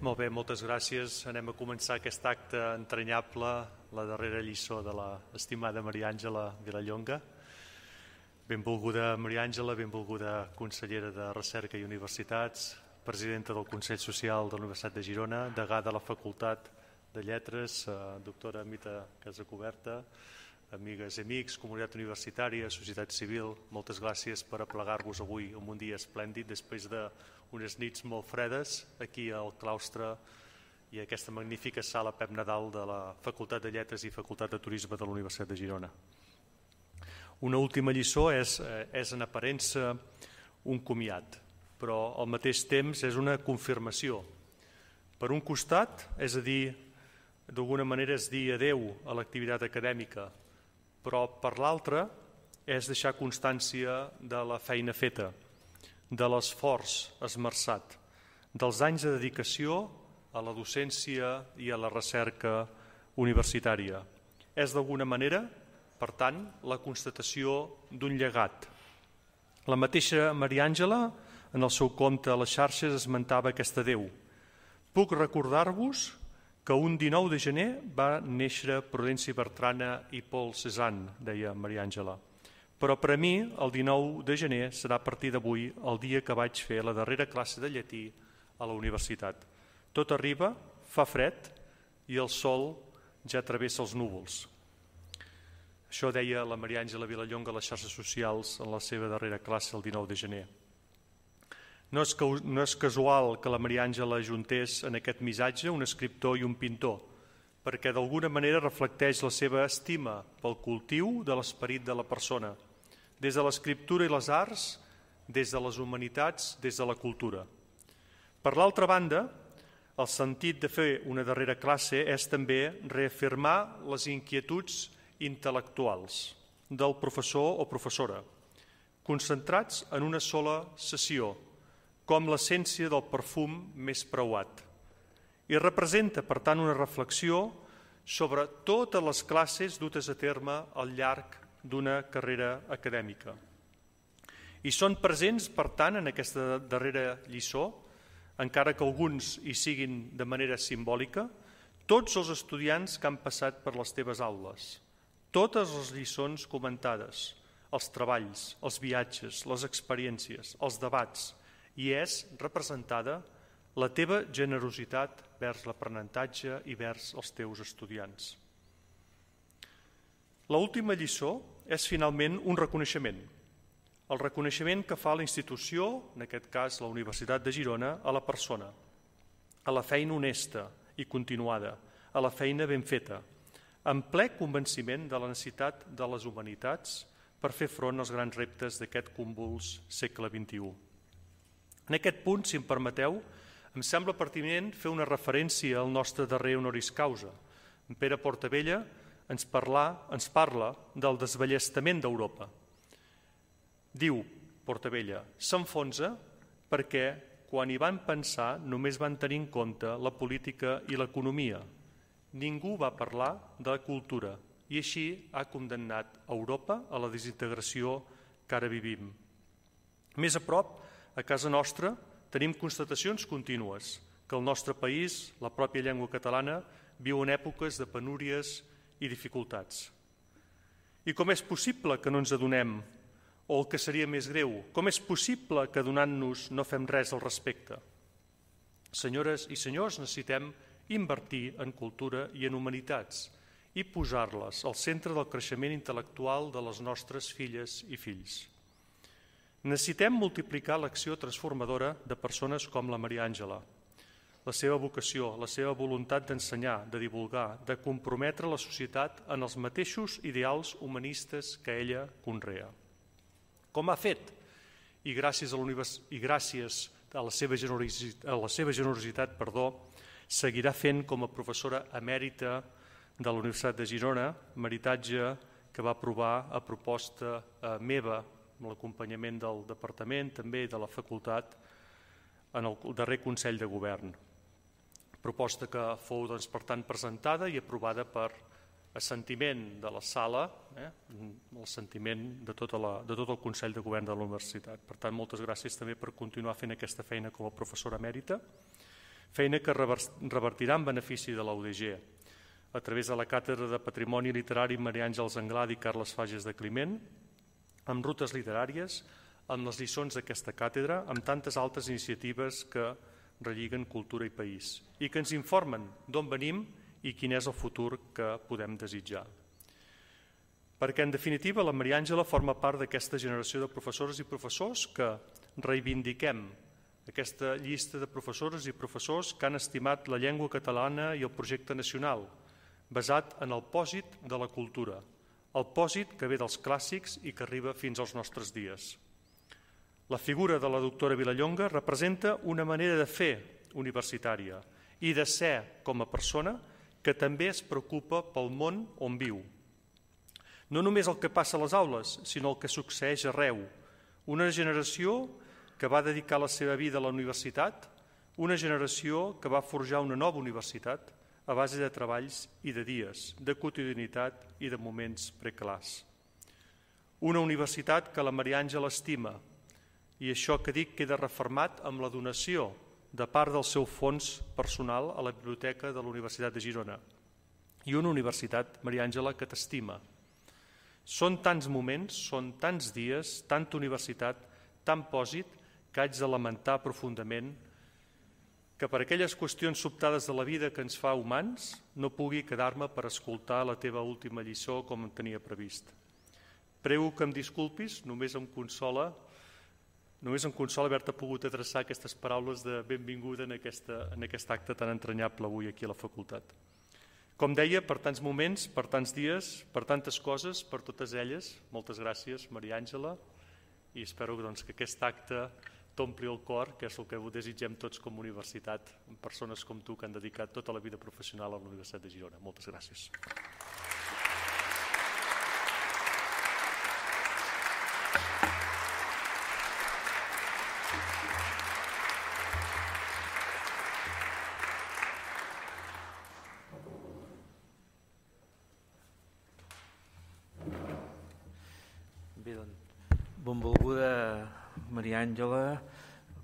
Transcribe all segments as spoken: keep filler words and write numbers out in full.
Molt bé, moltes gràcies. Anem a començar aquest acte entranyable, la darrera lliçó de l'estimada Maria Àngela Vilallonga. Benvolguda Maria Àngela, benvolguda consellera de Recerca i Universitats, presidenta del Consell Social de la Universitat de Girona, degà de la Facultat de Lletres, doctora Mita Casacuberta, amigues i amics, comunitat universitària, societat civil, moltes gràcies per aplegar-vos avui en un dia esplèndid després d'unes nits molt fredes aquí al claustre i a aquesta magnífica sala Pep Nadal de la Facultat de Lletres i Facultat de Turisme de la Universitat de Girona. Una última lliçó és, és en aparença un comiat, però al mateix temps és una confirmació. Per un costat, és a dir, d'alguna manera és dir adeu a l'activitat acadèmica, però per l'altre és deixar constància de la feina feta, de l'esforç esmerçat, dels anys de dedicació a la docència i a la recerca universitària. És d'alguna manera, per tant, la constatació d'un llegat. La mateixa Maria Àngela, en el seu compte a les xarxes, esmentava aquest adeu. Puc recordar-vos que un dinou de gener va néixer Prudenci Bertrana i Paul Cézanne, deia Maria Àngela. Però per a mi el dinou de gener serà a partir d'avui el dia que vaig fer la darrera classe de llatí a la universitat. Tot arriba, fa fred i el sol ja travessa els núvols. Això deia la Maria Àngela Vilallonga a les xarxes socials en la seva darrera classe el dinou de gener. No és, no és casual que la Maria Àngela ajuntés en aquest missatge un escriptor i un pintor, perquè d'alguna manera reflecteix la seva estima pel cultiu de l'esperit de la persona, des de l'escriptura i les arts, des de les humanitats, des de la cultura. Per l'altra banda, el sentit de fer una darrera classe és també reafirmar les inquietuds intel·lectuals del professor o professora, concentrats en una sola sessió, com l'essència del perfum més preuat. I representa, per tant, una reflexió sobre totes les classes dutes a terme al llarg d'una carrera acadèmica. I són presents, per tant, en aquesta darrera lliçó, encara que alguns hi siguin de manera simbòlica, tots els estudiants que han passat per les teves aules, totes les lliçons comentades, els treballs, els viatges, les experiències, els debats, i és representada la teva generositat vers l'aprenentatge i vers els teus estudiants. L'última lliçó és finalment un reconeixement. El reconeixement que fa la institució, en aquest cas la Universitat de Girona, a la persona, a la feina honesta i continuada, a la feina ben feta, amb ple convenciment de la necessitat de les humanitats per fer front als grans reptes d'aquest convuls segle vint-i-u. En aquest punt, si em permeteu, em sembla pertinent fer una referència al nostre darrer honoris causa. En Pere Portabella ens, parla, ens parla del desballestament d'Europa. Diu Portabella, s'enfonsa perquè quan hi van pensar només van tenir en compte la política i l'economia. Ningú va parlar de la cultura i així ha condemnat Europa a la desintegració que ara vivim. Més a prop, a casa nostra tenim constatacions contínues que el nostre país, la pròpia llengua catalana, viu en èpoques de penúries i dificultats. I com és possible que no ens adonem, o el que seria més greu, com és possible que donant-nos no fem res al respecte? Senyores i senyors, necessitem invertir en cultura i en humanitats i posar-les al centre del creixement intel·lectual de les nostres filles i fills. Necessitem multiplicar l'acció transformadora de persones com la Maria Àngela, la seva vocació, la seva voluntat d'ensenyar, de divulgar, de comprometre la societat en els mateixos ideals humanistes que ella conrea. Com ha fet, i gràcies a, i gràcies a la seva generositat, a la seva generositat perdó, seguirà fent com a professora emèrita de la Universitat de Girona, meritatge que va aprovar a proposta eh, meva, amb l'acompanyament del Departament, també de la Facultat, en el darrer Consell de Govern. Proposta que fou, doncs, per tant, presentada i aprovada per assentiment de la sala, eh, l'assentiment de, tota la, de tot el Consell de Govern de la Universitat. Per tant, moltes gràcies també per continuar fent aquesta feina com a professora emèrita. feina que revertirà en benefici de la U D G a través de la Càtedra de Patrimoni Literari Maria Àngels Anglada i Carles Fages de Climent, amb rutes literàries, amb les lliçons d'aquesta càtedra, amb tantes altres iniciatives que relliguen cultura i país i que ens informen d'on venim i quin és el futur que podem desitjar. Perquè, en definitiva, la Maria Àngela forma part d'aquesta generació de professores i professors que reivindiquem aquesta llista de professores i professors que han estimat la llengua catalana i el projecte nacional, basat en el pòsit de la cultura, el pòsit que ve dels clàssics i que arriba fins als nostres dies. La figura de la doctora Vilallonga representa una manera de fer universitària i de ser com a persona que també es preocupa pel món on viu. No només el que passa a les aules, sinó el que succeeix arreu. Una generació que va dedicar la seva vida a la universitat, una generació que va forjar una nova universitat a base de treballs i de dies, de quotidianitat i de moments preclars. Una universitat que la Maria Àngela estima, i això que dic queda refermat amb la donació de part del seu fons personal a la biblioteca de la Universitat de Girona. I una universitat, Maria Àngela, que t'estima. Són tants moments, són tants dies, tanta universitat, tant pòsit, que haig de lamentar profundament que per aquelles qüestions sobtades de la vida que ens fa humans no pugui quedar-me per escoltar la teva última lliçó com em tenia previst. Prego que em disculpis, només em consola només em consola haver-te pogut adreçar aquestes paraules de benvinguda en, aquesta, en aquest acte tan entranyable avui aquí a la facultat. Com deia, per tants moments, per tants dies, per tantes coses, per totes elles, moltes gràcies, Maria Àngela, i espero doncs, que aquest acte t'ompli el cor, que és el que desitgem tots com a universitat, amb persones com tu que han dedicat tota la vida professional a la Universitat de Girona. Moltes gràcies. Benvolguda Maria Àngela,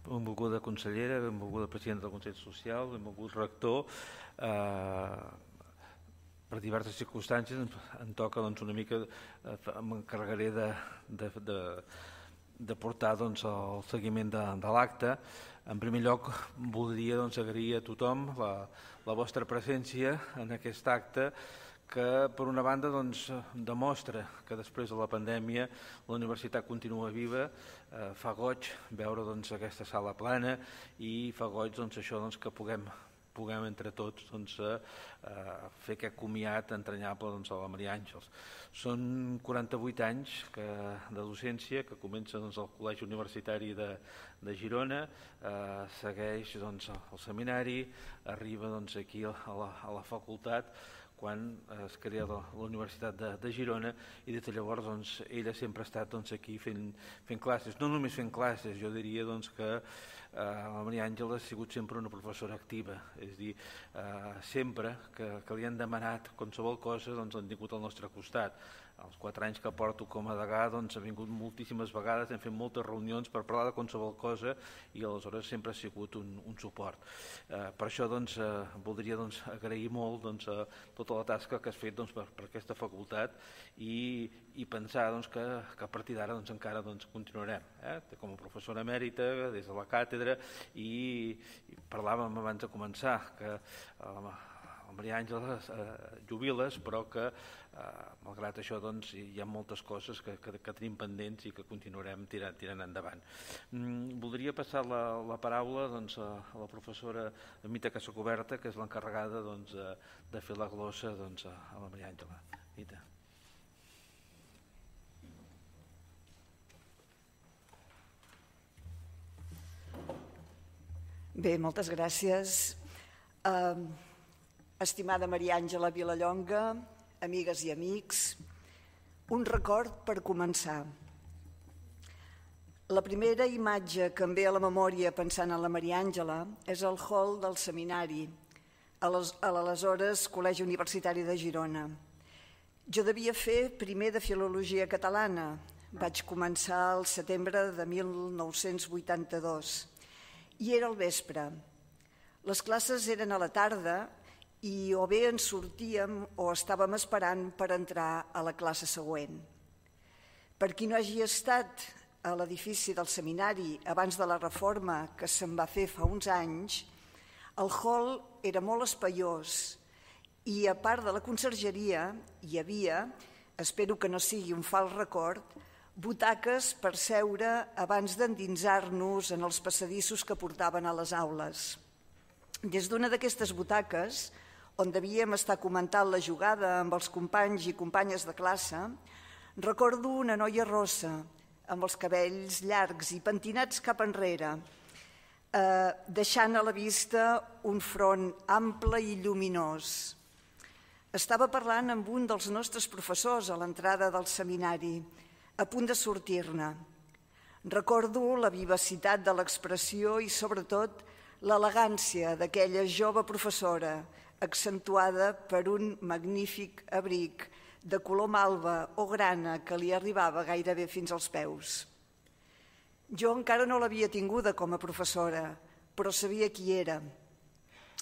benvolguda consellera, benvolguda presidenta del Consell Social, benvolgut rector. Eh, per diverses circumstàncies em toca doncs, una mica, eh, m'encarregaré de, de, de, de portar doncs, el seguiment de, de l'acte. En primer lloc, voldria doncs, agrair a tothom la, la vostra presència en aquest acte, que per una banda doncs, demostra que després de la pandèmia la universitat continua viva, eh, fa goig veure doncs, aquesta sala plana i fa goig doncs, això doncs, que puguem, puguem entre tots doncs, eh, fer aquest comiat entranyable doncs, a la Maria Àngels. Són quaranta-vuit anys que, de docència que comença doncs, al Col·legi Universitari de, de Girona, eh, segueix doncs, el seminari, arriba doncs, aquí a la, a la facultat, quan es crea la, la Universitat de, de Girona, i des de llavors doncs, ella sempre ha estat doncs, aquí fent, fent classes. No només fent classes, jo diria doncs, que eh, la Maria Àngela ha sigut sempre una professora activa, és a dir, eh, sempre que, que li han demanat qualsevol cosa doncs, han tingut al nostre costat. Els quatre anys que porto com a degà doncs, ha vingut moltíssimes vegades, hem fet moltes reunions per parlar de qualsevol cosa i aleshores sempre ha sigut un, un suport. Eh, per això doncs, eh, voldria doncs, agrair molt doncs, eh, tota la tasca que has fet doncs, per, per aquesta facultat i, i pensar doncs, que, que a partir d'ara doncs, encara doncs, continuarem eh? com a professora emèrita des de la càtedra i, i parlàvem abans de començar que eh, la Maria Àngela eh, jubiles, però que eh, malgrat això doncs, hi ha moltes coses que, que, que tenim pendents i que continuarem tirant, tirant endavant. Mm, voldria passar la, la paraula doncs, a, a la professora Mita Casacoberta, que és l'encarregada doncs, de, de fer la glossa doncs, a, a la Maria Àngela. Mita. Bé, moltes gràcies. Uh, estimada Maria Àngela Vilallonga, amigues i amics, un record per començar. La primera imatge que em ve a la memòria pensant en la Maria Àngela és el hall del seminari, a l'aleshores Col·legi Universitari de Girona. Jo devia fer primer de Filologia Catalana. Vaig començar al setembre de mil nou-cents vuitanta-dos i era al vespre. Les classes eren a la tarda i o bé ens sortíem o estàvem esperant per entrar a la classe següent. Per qui no hagi estat a l'edifici del seminari abans de la reforma que se'n va fer fa uns anys, el hall era molt espaiós i a part de la consergeria hi havia, espero que no sigui un fals record, butaques per seure abans d'endinsar-nos en els passadissos que portaven a les aules. Des d'una d'aquestes butaques, on devíem estar comentant la jugada amb els companys i companyes de classe, recordo una noia rossa, amb els cabells llargs i pentinats cap enrere, eh, deixant a la vista un front ample i lluminós. Estava parlant amb un dels nostres professors a l'entrada del seminari, a punt de sortir-ne. Recordo la vivacitat de l'expressió i, sobretot, l'elegància d'aquella jove professora, accentuada per un magnífic abric de color malva o grana que li arribava gairebé fins als peus. Jo encara no l'havia tinguda com a professora, però sabia qui era.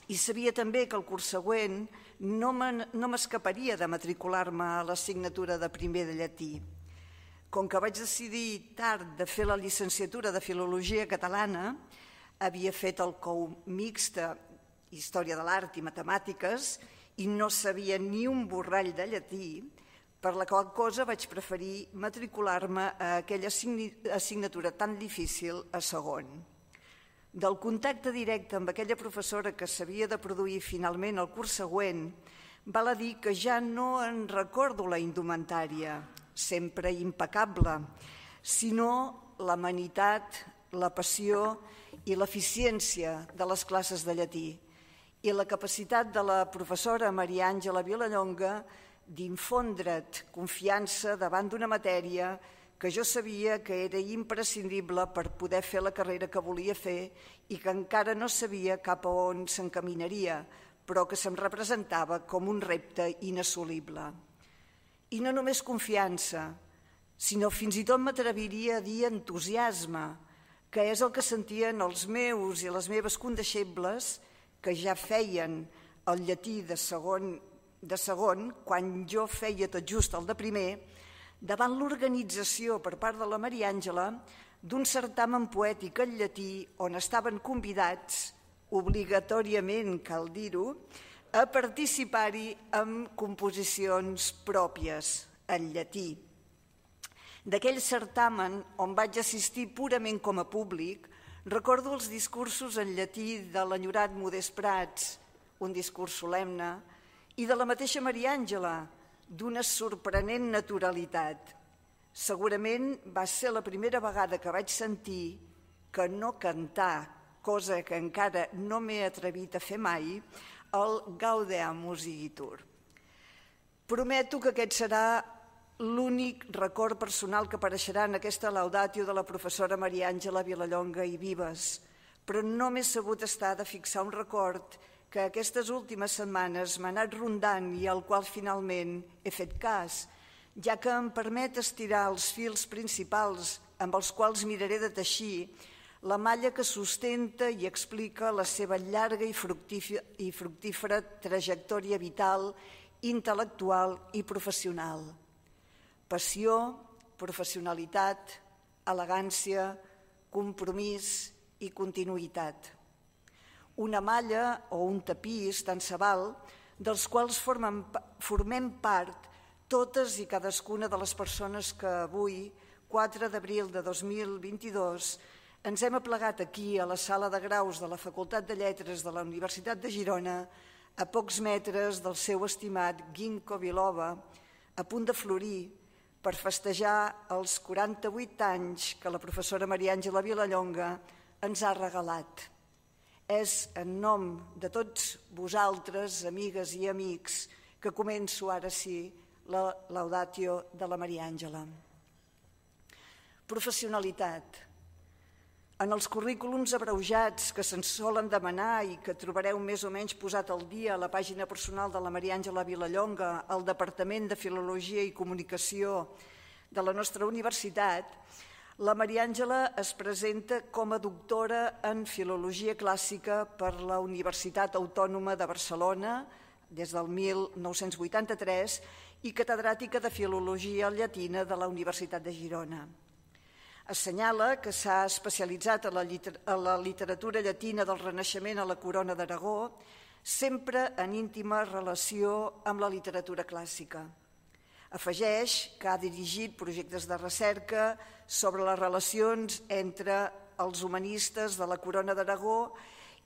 I sabia també que el curs següent no m'escaparia de matricular-me a l'assignatura de primer de llatí. Com que vaig decidir tard de fer la llicenciatura de Filologia Catalana, havia fet el C O U mixta, Història de l'Art i Matemàtiques, i no sabia ni un borrall de llatí, per la qual cosa vaig preferir matricular-me a aquella assignatura tan difícil a segon. Del contacte directe amb aquella professora que s'havia de produir finalment el curs següent, val a dir que ja no en recordo la indumentària, sempre impecable, sinó l'amenitat, la passió i l'eficiència de les classes de llatí i la capacitat de la professora Maria Àngela Vilallonga d'infondre't confiança davant d'una matèria que jo sabia que era imprescindible per poder fer la carrera que volia fer i que encara no sabia cap a on s'encaminaria, però que se'm representava com un repte inassolible. I no només confiança, sinó fins i tot m'atreviria a dir entusiasme, que és el que sentien els meus i les meves condeixebles que ja feien el llatí de segon, de segon quan jo feia tot just el de primer, davant l'organització per part de la Maria Àngela d'un certamen poètic en llatí on estaven convidats, obligatòriament cal dir-ho, a participar-hi amb composicions pròpies en llatí. D'aquell certamen, on vaig assistir purament com a públic, recordo els discursos en llatí de l'enyorat Modest Prats, un discurs solemne, i de la mateixa Maria Àngela, d'una sorprenent naturalitat. Segurament va ser la primera vegada que vaig sentir que no cantar, cosa que encara no m'he atrevit a fer mai, el Gaudeamus Igitur. Prometo que aquest serà l'únic record personal que apareixerà en aquesta laudatio de la professora Maria Àngela Vilallonga i Vives, però no m'he sabut estar de fixar un record que aquestes últimes setmanes m'ha anat rondant i al qual finalment he fet cas, ja que em permet estirar els fils principals amb els quals miraré de teixir la malla que sustenta i explica la seva llarga i fructífera trajectòria vital, intel·lectual i professional. Passió, professionalitat, elegància, compromís i continuïtat. Una malla o un tapís, tant se val, dels quals formen, formem part totes i cadascuna de les persones que avui, quatre d'abril de dos mil vint-i-dos, ens hem aplegat aquí a la sala de graus de la Facultat de Lletres de la Universitat de Girona, a pocs metres del seu estimat Ginkgo biloba, a punt de florir, per festejar els quaranta-vuit anys que la professora Maria Àngela Vilallonga ens ha regalat. És en nom de tots vosaltres, amigues i amics, que començo ara sí la laudatio de la Maria Àngela. Professionalitat. En els currículums abreujats que se'ns solen demanar i que trobareu més o menys posat al dia a la pàgina personal de la Maria Àngela Vilallonga al Departament de Filologia i Comunicació de la nostra universitat, La Maria Àngela es presenta com a doctora en Filologia Clàssica per la Universitat Autònoma de Barcelona des del mil nou-cents vuitanta-tres i catedràtica de Filologia Llatina de la Universitat de Girona. Assenyala que s'ha especialitzat a la, liter a la literatura llatina del Renaixement a la Corona d'Aragó, sempre en íntima relació amb la literatura clàssica. Afegeix que ha dirigit projectes de recerca sobre les relacions entre els humanistes de la Corona d'Aragó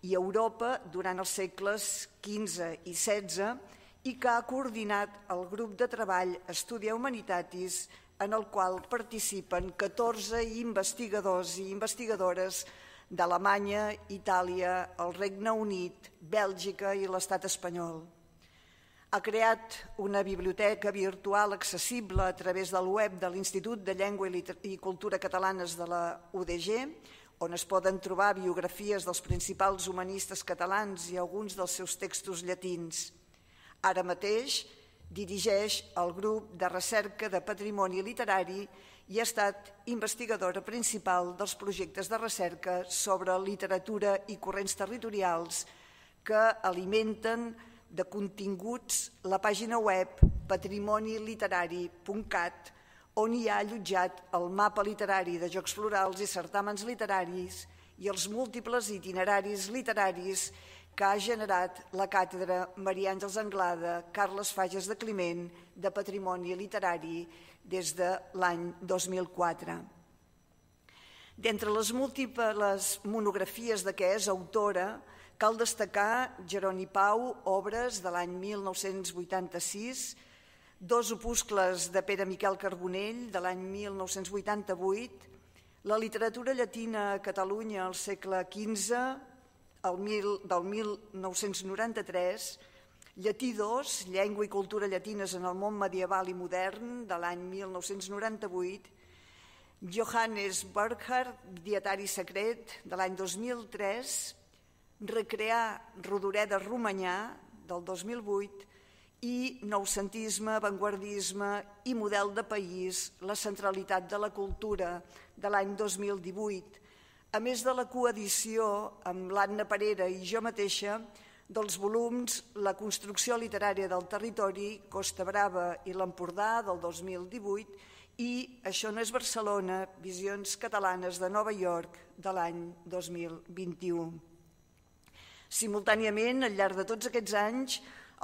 i Europa durant els segles quinze i setze i que ha coordinat el grup de treball Studia Humanitatis, en el qual participen catorze investigadors i investigadores d'Alemanya, Itàlia, el Regne Unit, Bèlgica i l'Estat espanyol. Ha creat una biblioteca virtual accessible a través del web de l'Institut de Llengua i Cultura Catalanes de la U D G, on es poden trobar biografies dels principals humanistes catalans i alguns dels seus textos llatins. Ara mateix dirigeix el grup de recerca de patrimoni literari i ha estat investigadora principal dels projectes de recerca sobre literatura i corrents territorials que alimenten de continguts la pàgina web patrimoni literari punt cat, on hi ha allotjat el mapa literari de jocs florals i certàmens literaris i els múltiples itineraris literaris que ha generat la càtedra Maria Àngels Anglada, Carles Fages de Climent, de Patrimoni Literari des de l'any dos mil quatre. D'entre les múltiples monografies de què és autora, cal destacar Jeroni Pau, obres de l'any mil nou-cents vuitanta-sis, dos opuscles de Pere Miquel Carbonell de l'any mil nou-cents vuitanta-vuit, la literatura llatina a Catalunya al segle quinze, el mil, del mil nou-cents noranta-tres, Llatí dos, Llengua i cultura llatines en el món medieval i modern, de l'any mil nou-cents noranta-vuit, Johannes Burckhardt, Dietari secret, de l'any dos mil tres, Recrear Rodoreda Romanyà, del dos mil vuit, i Noucentisme, Avantguardisme i Model de País, la centralitat de la cultura, de l'any dos mil divuit, a més de la coedició amb l'Anna Parera i jo mateixa dels volums La construcció literària del territori, Costa Brava i l'Empordà, del dos mil divuit, i Això no és Barcelona, Visions catalanes de Nova York, de l'any dos mil vint-i-u. Simultàniament, al llarg de tots aquests anys,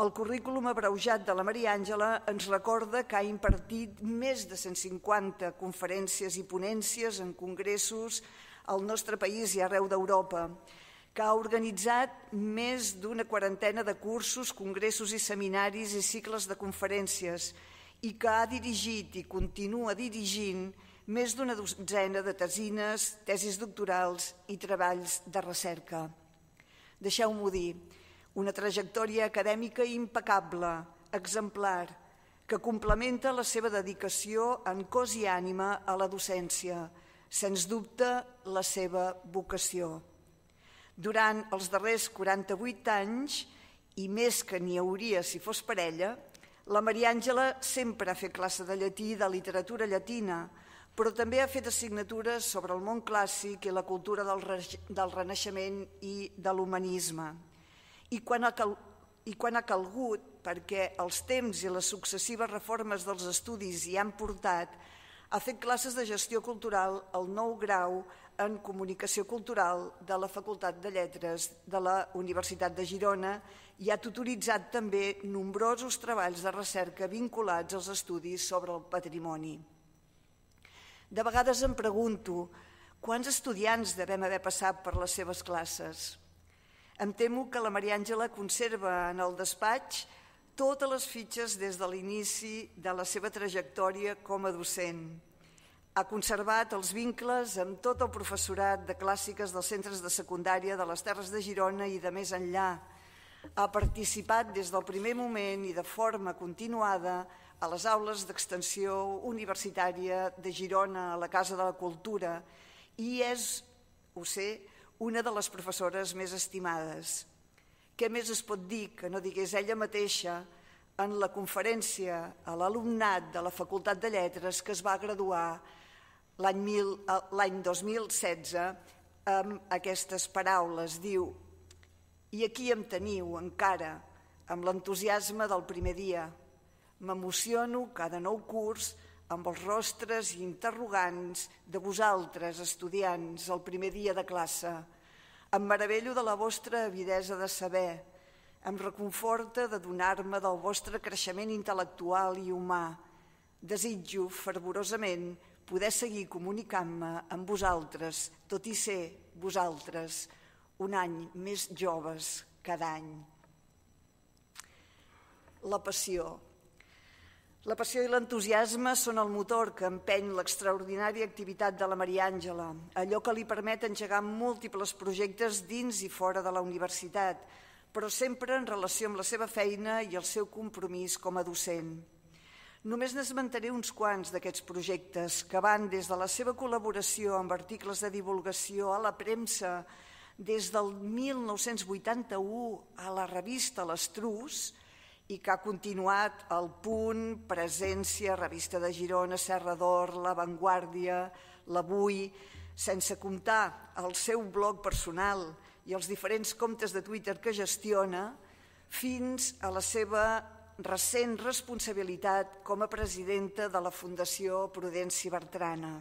el currículum abreujat de la Maria Àngela ens recorda que ha impartit més de cent cinquanta conferències i ponències en congressos al nostre país i arreu d'Europa, que ha organitzat més d'una quarantena de cursos, congressos i seminaris i cicles de conferències i que ha dirigit i continua dirigint més d'una dotzena de tesines, tesis doctorals i treballs de recerca. Deixeu-m'ho dir, una trajectòria acadèmica impecable, exemplar, que complementa la seva dedicació en cos i ànima a la docència, sens dubte la seva vocació. Durant els darrers quaranta-vuit anys, i més que n'hi hauria si fos per ella, la Maria Àngela sempre ha fet classe de llatí i de literatura llatina, però també ha fet assignatures sobre el món clàssic i la cultura del, del Renaixement i de l'humanisme. I quan, ha cal, I quan ha calgut, perquè els temps i les successives reformes dels estudis hi han portat, ha fet classes de gestió cultural al nou grau en comunicació cultural de la Facultat de Lletres de la Universitat de Girona i ha tutoritzat també nombrosos treballs de recerca vinculats als estudis sobre el patrimoni. De vegades em pregunto quants estudiants devem haver passat per les seves classes. Em temo que la Maria Àngela conserva en el despatx totes les fitxes des de l'inici de la seva trajectòria com a docent. Ha conservat els vincles amb tot el professorat de clàssiques dels centres de secundària de les Terres de Girona i de més enllà. Ha participat des del primer moment i de forma continuada a les aules d'extensió universitària de Girona, a la Casa de la Cultura, i és, ho sé, una de les professores més estimades. Què més es pot dir que no digués ella mateixa en la conferència a l'alumnat de la Facultat de Lletres que es va graduar l'any dos mil setze amb aquestes paraules. Diu: «I aquí em teniu encara, amb l'entusiasme del primer dia. M'emociono cada nou curs amb els rostres interrogants de vosaltres, estudiants, el primer dia de classe. Em meravello de la vostra avidesa de saber. Em reconforta de donar-me del vostre creixement intel·lectual i humà. Desitjo fervorosament poder seguir comunicant-me amb vosaltres, tot i ser vosaltres un any més joves cada any». La passió. La passió i l'entusiasme són el motor que empeny l'extraordinària activitat de la Maria Àngela, allò que li permet engegar múltiples projectes dins i fora de la universitat, però sempre en relació amb la seva feina i el seu compromís com a docent. Només n'esmentaré uns quants d'aquests projectes que van des de la seva col·laboració amb articles de divulgació a la premsa des del mil nou-cents vuitanta-u a la revista L'Estruç i que ha continuat al Punt, Presència, Revista de Girona, Serra d'Or, La Vanguardia, l'Avui, sense comptar el seu blog personal i els diferents comptes de Twitter que gestiona, fins a la seva recent responsabilitat com a presidenta de la Fundació Prudenci Bertrana.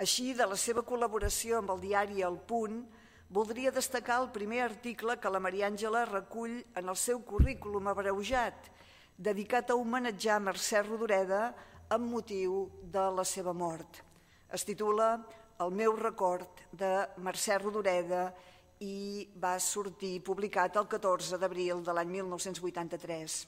Així, de la seva col·laboració amb el diari El Punt, voldria destacar el primer article que la Maria Àngela recull en el seu currículum abreujat, dedicat a homenatjar Mercè Rodoreda amb motiu de la seva mort. Es titula El meu record de Mercè Rodoreda i va sortir publicat el catorze d'abril de l'any mil nou-cents vuitanta-tres.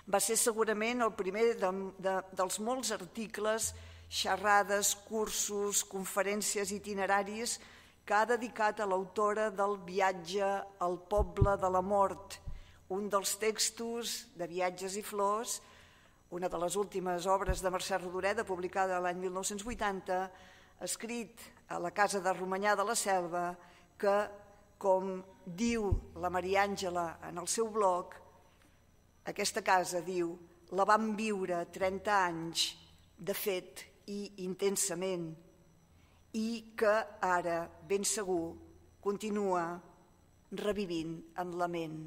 Va ser segurament el primer de, de, dels molts articles, xerrades, cursos, conferències itineraris que ha dedicat a l'autora del Viatge al poble de la mort, un dels textos de Viatges i flors, una de les últimes obres de Mercè Rodoreda, publicada l'any mil nou-cents vuitanta, escrit a la casa de Romanyà de la Selva, que, com diu la Maria Àngela en el seu blog, aquesta casa, diu, la vam viure trenta anys, de fet i intensament, i que ara, ben segur, continua revivint en la ment.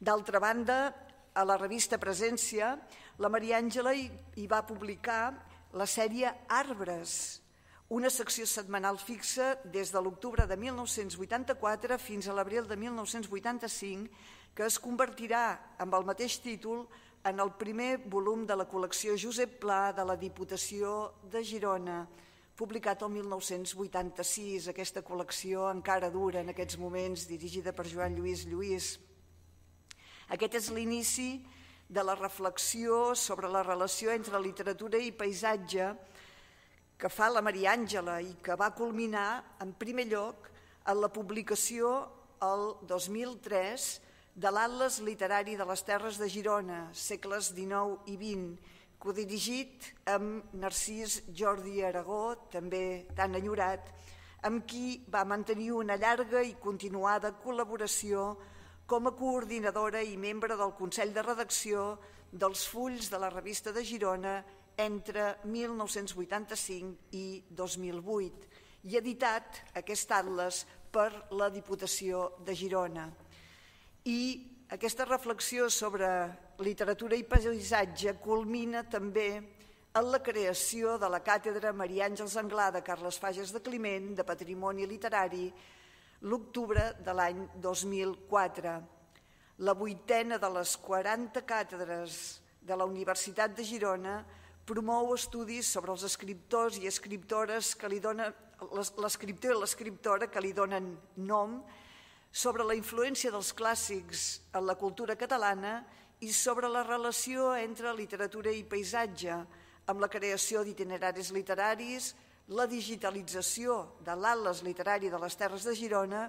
D'altra banda, a la revista Presència, la Maria Àngela hi va publicar la sèrie Arbres, una secció setmanal fixa des de l'octubre de mil nou-cents vuitanta-quatre fins a l'abril de mil nou-cents vuitanta-cinc, que es convertirà amb el mateix títol en el primer volum de la col·lecció Josep Pla de la Diputació de Girona, publicat el mil nou-cents vuitanta-sis. Aquesta col·lecció encara dura en aquests moments, dirigida per Joan Lluís Lluís. Aquest és l'inici de la reflexió sobre la relació entre literatura i paisatge que fa la Maria Àngela i que va culminar, en primer lloc, en la publicació el dos mil tres de l'Atles Literari de les Terres de Girona, segles dinou i vint, codirigit amb Narcís Jordi Aragó, també tan enyorat, amb qui va mantenir una llarga i continuada col·laboració com a coordinadora i membre del Consell de Redacció dels fulls de la Revista de Girona entre mil nou-cents vuitanta-cinc i dos mil vuit, i editat aquest atles per la Diputació de Girona. I aquesta reflexió sobre literatura i paisatge culmina també en la creació de la càtedra Maria Àngels Anglada Carles Fages de Climent de Patrimoni Literari l'octubre de l'any dos mil quatre. La vuitena de les quaranta càtedres de la Universitat de Girona promou estudis sobre els escriptors i escriptores que li donen, l'escriptor i l'escriptora que li donen nom, sobre la influència dels clàssics en la cultura catalana i sobre la relació entre literatura i paisatge, amb la creació d'itineraris literaris, la digitalització de l'Atles Literari de les Terres de Girona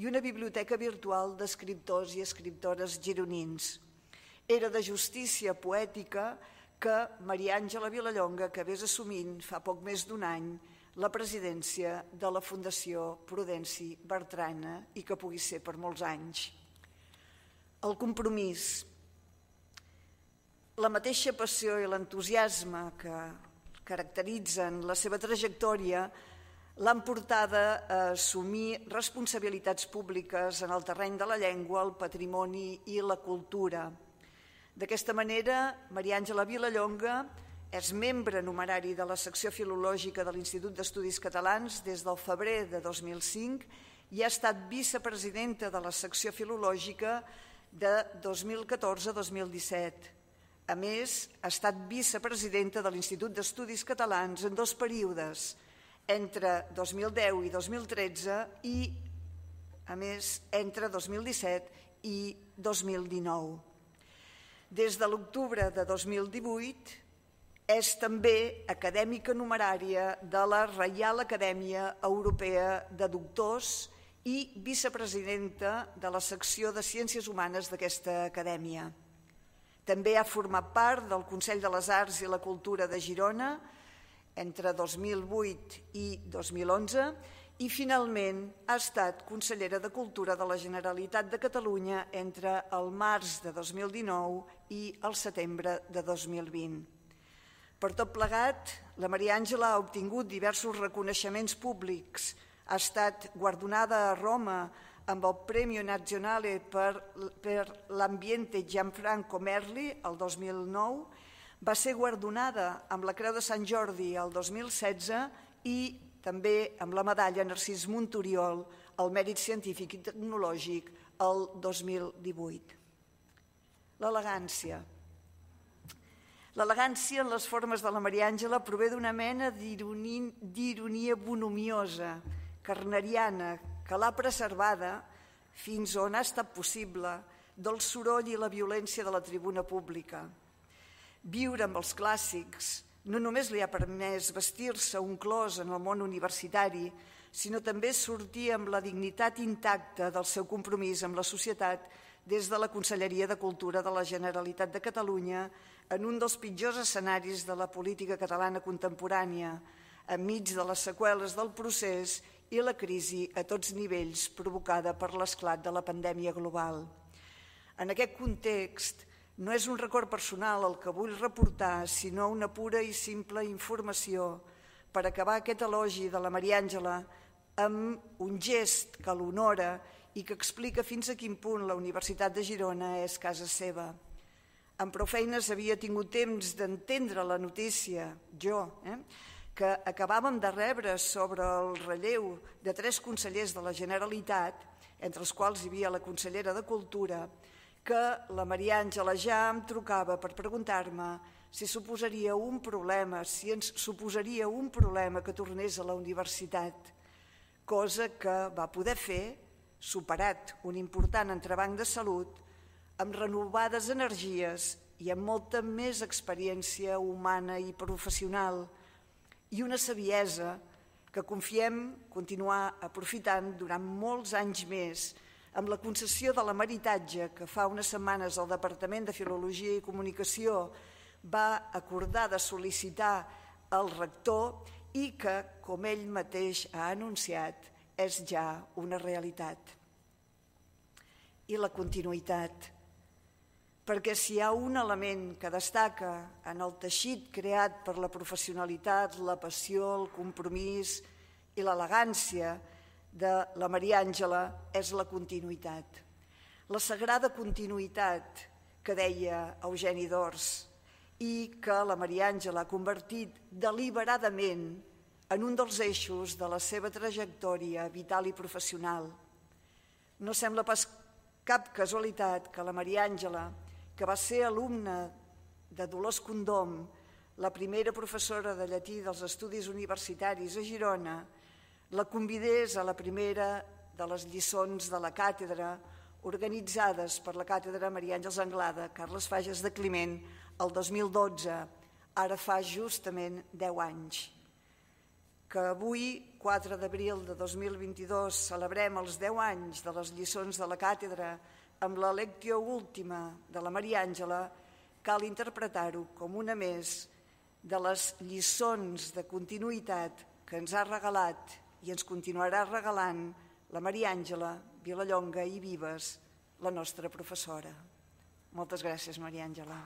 i una biblioteca virtual d'escriptors i escriptores gironins. Era de justícia poètica que Maria Àngela Vilallonga acabés assumint fa poc més d'un any la presidència de la Fundació Prudenci Bertrana i que pugui ser per molts anys. El compromís, la mateixa passió i l'entusiasme que, caracteritzen la seva trajectòria l'han portada a assumir responsabilitats públiques en el terreny de la llengua, el patrimoni i la cultura. D'aquesta manera, Maria Àngela Vilallonga és membre numerari de la secció filològica de l'Institut d'Estudis Catalans des del febrer de dos mil cinc i ha estat vicepresidenta de la secció filològica de dos mil catorze a dos mil disset. A més, ha estat vicepresidenta de l'Institut d'Estudis Catalans en dos períodes, entre dos mil deu i dos mil tretze i, a més, entre dos mil disset i dos mil dinou. Des de l'octubre de dos mil divuit és també acadèmica numerària de la Reial Acadèmia Europea de Doctors i vicepresidenta de la secció de Ciències Humanes d'aquesta acadèmia. També ha format part del Consell de les Arts i la Cultura de Girona entre dos mil vuit i dos mil onze i finalment ha estat consellera de Cultura de la Generalitat de Catalunya entre el març de dos mil dinou i el setembre de dos mil vint. Per tot plegat, la Maria Àngela ha obtingut diversos reconeixements públics. Ha estat guardonada a Roma amb el Premio Nazionale per, per l'Ambiente Gianfranco Merli el dos mil nou, va ser guardonada amb la Creu de Sant Jordi el dos mil setze i també amb la medalla Narcís Monturiol al Mèrit Científic i Tecnològic el dos mil divuit. L'elegància. L'elegància en les formes de la Maria Àngela prové d'una mena d'ironia bonomiosa, carneriana, que l'ha preservada fins on ha estat possible del soroll i la violència de la tribuna pública. Viure amb els clàssics no només li ha permès vestir-se un clos en el món universitari, sinó també sortir amb la dignitat intacta del seu compromís amb la societat des de la Conselleria de Cultura de la Generalitat de Catalunya en un dels pitjors escenaris de la política catalana contemporània, enmig de les seqüeles del procés i la crisi a tots nivells provocada per l'esclat de la pandèmia global. En aquest context, no és un record personal el que vull reportar, sinó una pura i simple informació per acabar aquest elogi de la Maria Àngela amb un gest que l'honora i que explica fins a quin punt la Universitat de Girona és casa seva. Amb prou feines havia tingut temps d'entendre la notícia, jo, eh, que acabàvem de rebre sobre el relleu de tres consellers de la Generalitat, entre els quals hi havia la consellera de Cultura, que la Maria Àngela ja em trucava per preguntar-me si suposaria un problema, si ens suposaria un problema que tornés a la universitat, cosa que va poder fer, superat un important entrebanc de salut, amb renovades energies i amb molta més experiència humana i professional i una saviesa que confiem continuar aprofitant durant molts anys més amb la concessió de l'emeritatge que fa unes setmanes el Departament de Filologia i Comunicació va acordar de sol·licitar al rector i que, com ell mateix ha anunciat, és ja una realitat. I la continuïtat. Perquè si hi ha un element que destaca en el teixit creat per la professionalitat, la passió, el compromís i l'elegància de la Maria Àngela és la continuïtat. La sagrada continuïtat que deia Eugeni d'Ors i que la Maria Àngela ha convertit deliberadament en un dels eixos de la seva trajectòria vital i professional. No sembla pas cap casualitat que la Maria Àngela, que va ser alumna de Dolors Condom, la primera professora de llatí dels estudis universitaris a Girona, la convidés a la primera de les lliçons de la càtedra organitzades per la càtedra Maria Àngels Anglada, Carles Fages de Climent, el dos mil dotze, ara fa justament deu anys. Que avui, quatre d'abril de dos mil vint-i-dos, celebrem els deu anys de les lliçons de la càtedra amb la lectio última de la Maria Àngela, cal interpretar-ho com una més de les lliçons de continuïtat que ens ha regalat i ens continuarà regalant la Maria Àngela Vilallonga i Vives, la nostra professora. Moltes gràcies, Maria Àngela.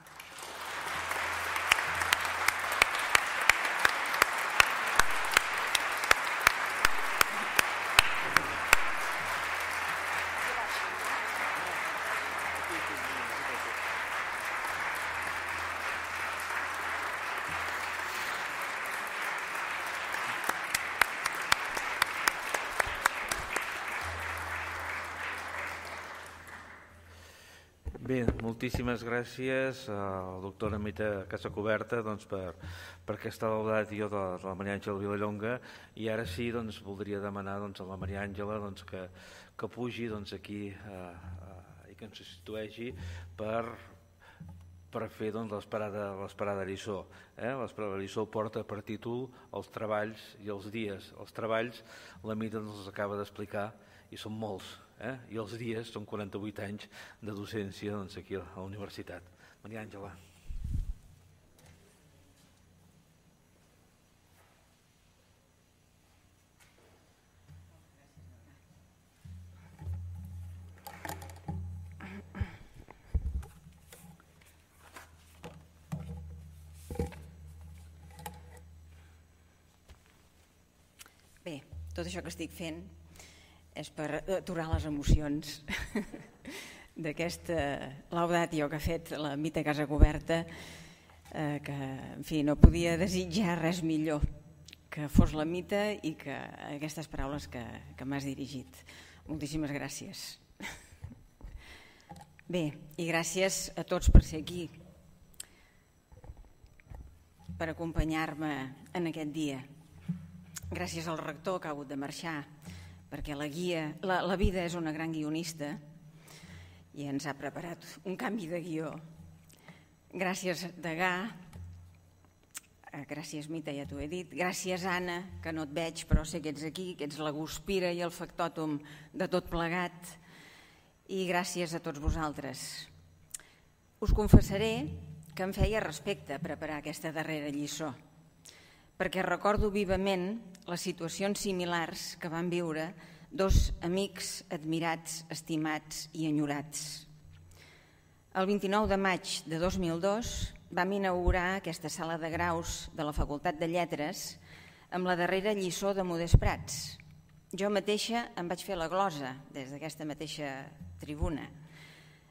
Bé, moltíssimes gràcies a la doctora Mita Casacoberta doncs, per, per aquesta laudatio de, de la Maria Àngela Vilallonga, i ara sí doncs, voldria demanar doncs, a la Maria Àngela doncs, que, que pugi doncs, aquí eh, eh, i que ens substitueixi per, per fer doncs, l'esperada l'esperada lliçó. Eh? L'esperada lliçó porta per títol els treballs i els dies. Els treballs la Mita ens els acaba d'explicar i són molts. Eh? I els dies són quaranta-vuit anys de docència doncs, aquí a la universitat. Maria Àngela. Bé, tot això que estic fent és per aturar les emocions d'aquesta laudatio que ha fet la Mita Casacoberta, eh, que en fi, no podia desitjar res millor que fos la Mita i que aquestes paraules que, que m'has dirigit. Moltíssimes gràcies. Bé, i gràcies a tots per ser aquí, per acompanyar-me en aquest dia. Gràcies al rector que ha hagut de marxar, perquè la, guia, la, la vida és una gran guionista i ens ha preparat un canvi de guió. Gràcies, Degà, gràcies, Mita, ja t'ho he dit, gràcies, Anna, que no et veig però sé que ets aquí, que ets la guspira i el factòtum de tot plegat, i gràcies a tots vosaltres. Us confessaré que em feia respecte preparar aquesta darrera lliçó, perquè recordo vivament les situacions similars que van viure dos amics admirats, estimats i enyorats. El vint-i-nou de maig de dos mil dos vam inaugurar aquesta sala de graus de la Facultat de Lletres amb la darrera lliçó de Modest Prats. Jo mateixa em vaig fer la glosa des d'aquesta mateixa tribuna.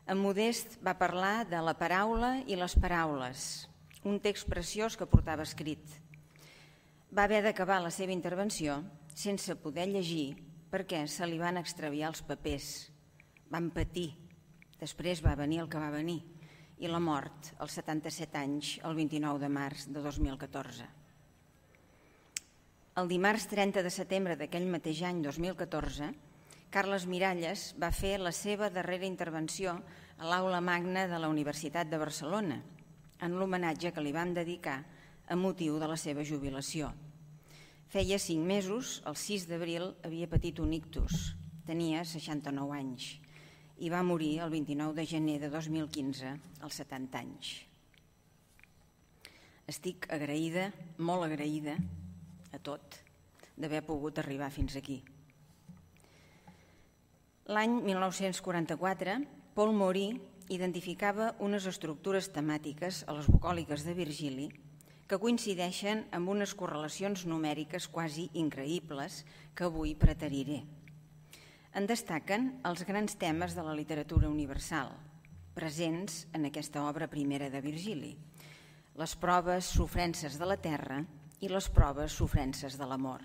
En Modest va parlar de la paraula i les paraules, un text preciós que portava escrit. Va haver d'acabar la seva intervenció sense poder llegir perquè se li van extraviar els papers. Van patir. Després va venir el que va venir i la mort als setanta-set anys, el vint-i-nou de març de dos mil catorze. El dimarts trenta de setembre d'aquell mateix any, dos mil catorze, Carles Miralles va fer la seva darrera intervenció a l'Aula Magna de la Universitat de Barcelona, en l'homenatge que li vam dedicar a motiu de la seva jubilació. Feia cinc mesos, el sis d'abril, havia patit un ictus, tenia seixanta-nou anys i va morir el vint-i-nou de gener de dos mil quinze, als setanta anys. Estic agraïda, molt agraïda, a tot, d'haver pogut arribar fins aquí. L'any mil nou-cents quaranta-quatre, Paul Maury identificava unes estructures temàtiques a les bucòliques de Virgili que coincideixen amb unes correlacions numèriques quasi increïbles que avui preteriré. En destaquen els grans temes de la literatura universal, presents en aquesta obra primera de Virgili, les proves sofrences de la terra i les proves sofrences de l'amor.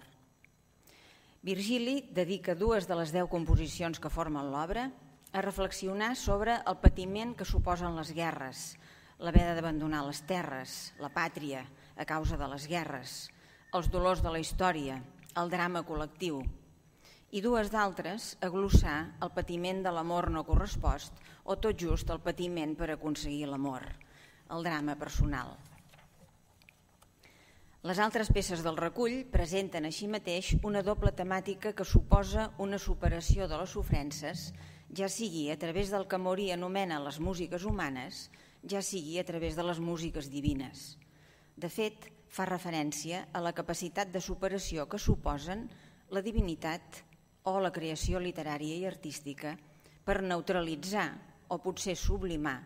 Virgili dedica dues de les deu composicions que formen l'obra a reflexionar sobre el patiment que suposen les guerres, l'haver d'abandonar les terres, la pàtria a causa de les guerres, els dolors de la història, el drama col·lectiu, i dues d'altres a glossar el patiment de l'amor no correspost o tot just el patiment per aconseguir l'amor, el drama personal. Les altres peces del recull presenten així mateix una doble temàtica que suposa una superació de les sofrences, ja sigui a través del que Maury anomena les músiques humanes, ja sigui a través de les músiques divines. De fet, fa referència a la capacitat de superació que suposen la divinitat o la creació literària i artística per neutralitzar o potser sublimar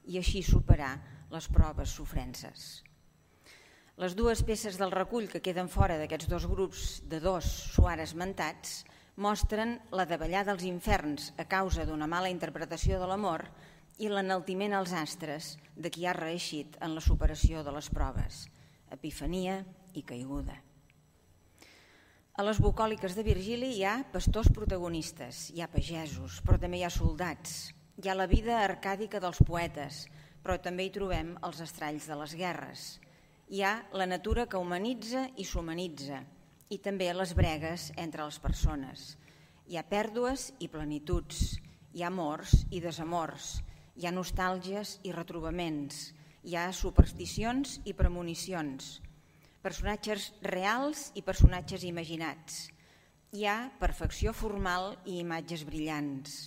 i així superar les proves sofrences. Les dues peces del recull que queden fora d'aquests dos grups de dos suara esmentats mostren la davallada als inferns a causa d'una mala interpretació de l'amor i l'enaltiment als astres de qui ha reeixit en la superació de les proves, epifania i caiguda. A les bucòliques de Virgili hi ha pastors protagonistes, hi ha pagesos, però també hi ha soldats, Hi ha la vida arcàdica dels poetes, però també hi trobem els estralls de les guerres. Hi ha la natura que humanitza i s'humanitza, i també les bregues entre les persones. Hi ha pèrdues i plenituds, hi ha amors i desamors, hi ha nostàlgies i retrobaments, hi ha supersticions i premonicions, personatges reals i personatges imaginats. Hi ha perfecció formal i imatges brillants.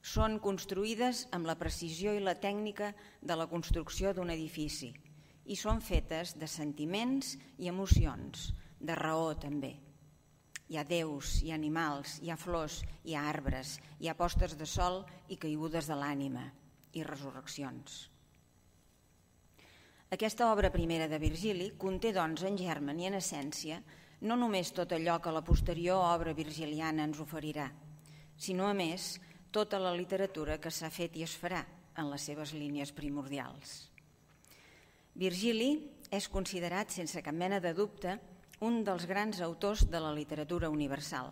Són construïdes amb la precisió i la tècnica de la construcció d'un edifici i són fetes de sentiments i emocions, de raó també. Hi ha déus, hi ha animals, hi ha flors, hi ha arbres, hi ha postes de sol i caigudes de l'ànima i resurreccions. Aquesta obra primera de Virgili conté, doncs, en germen i en essència, no només tot allò que la posterior obra virgiliana ens oferirà, sinó, a més, tota la literatura que s'ha fet i es farà en les seves línies primordials. Virgili és considerat, sense cap mena de dubte, un dels grans autors de la literatura universal.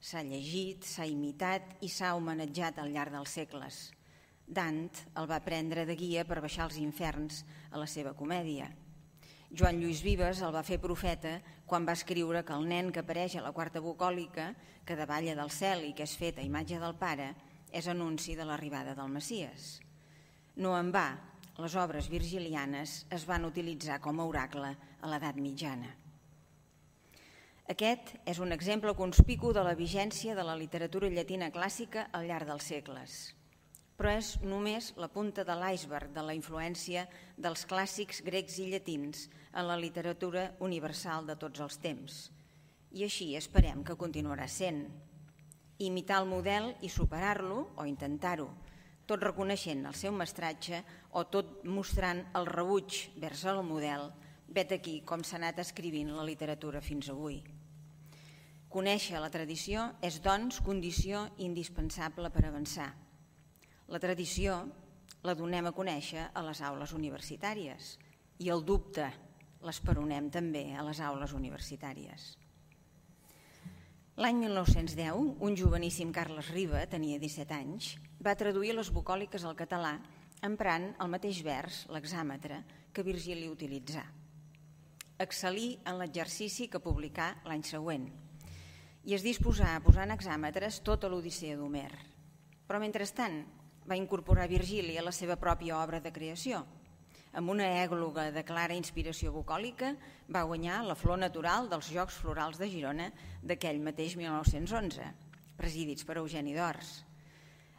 S'ha llegit, s'ha imitat i s'ha homenatjat al llarg dels segles. Dant el va prendre de guia per baixar als inferns a la seva comèdia. Joan Lluís Vives el va fer profeta quan va escriure que el nen que apareix a la quarta bucòlica, que davalla del cel i que és fet a imatge del pare, és anunci de l'arribada del Messies. No en va, les obres virgilianes es van utilitzar com a oracle a l'edat mitjana. Aquest és un exemple conspicu de la vigència de la literatura llatina clàssica al llarg dels segles, però és només la punta de l'iceberg de la influència dels clàssics grecs i llatins en la literatura universal de tots els temps. I així esperem que continuarà sent. Imitar el model i superar-lo, o intentar-ho, tot reconeixent el seu mestratge o tot mostrant el rebuig vers el model, vet aquí com s'ha anat escrivint la literatura fins avui. Conèixer la tradició és, doncs, condició indispensable per avançar. La tradició la donem a conèixer a les aules universitàries i el dubte l'esperonem també a les aules universitàries. L'any mil nou-cents deu, un joveníssim Carles Riba, tenia disset anys, va traduir les bucòliques al català emprant el mateix vers, l'hexàmetre, que Virgili utilitzà. Excel·lí en l'exercici que publicà l'any següent i es disposà a posar en hexàmetres tota l'Odissea d'Homer. Però, mentrestant, va incorporar Virgili a la seva pròpia obra de creació. Amb una ègloga de clara inspiració bucòlica va guanyar la flor natural dels Jocs Florals de Girona d'aquell mateix mil nou-cents onze, presidits per Eugeni d'Ors.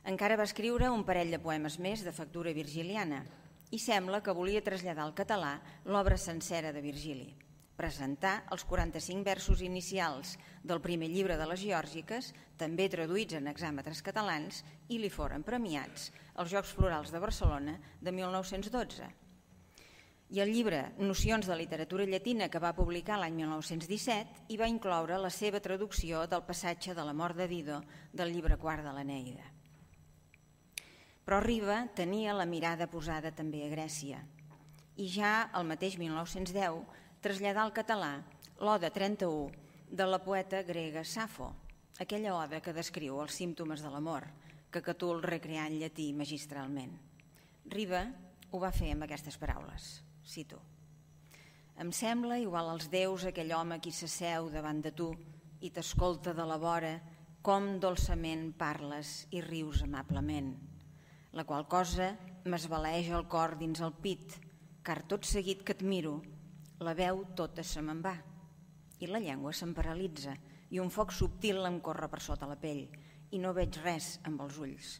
Encara va escriure un parell de poemes més de factura virgiliana i sembla que volia traslladar al català l'obra sencera de Virgili, presentar els quaranta-cinc versos inicials del primer llibre de les Geòrgiques, també traduïts en hexàmetres catalans, i li foren premiats als Jocs Florals de Barcelona de mil nou-cents dotze. I el llibre Nocions de literatura llatina, que va publicar l'any mil nou-cents disset, hi va incloure la seva traducció del passatge de la mort de Dido del llibre quart de l'Eneida. Però Riba tenia la mirada posada també a Grècia i ja el mateix mil nou-cents deu traslladà al català l'Oda trenta-u de la poeta grega Safo, aquella oda que descriu els símptomes de l'amor, que Catul recreà en llatí magistralment. Riba ho va fer amb aquestes paraules. Cito: «Em sembla igual als déus aquell home qui s'asseu davant de tu i t'escolta de la vora com dolçament parles i rius amablement, la qual cosa m'esbalaeja el cor dins el pit, car tot seguit que et miro, la veu tota se me'n va i la llengua se'm paralitza i un foc subtil em corre per sota la pell i no veig res amb els ulls.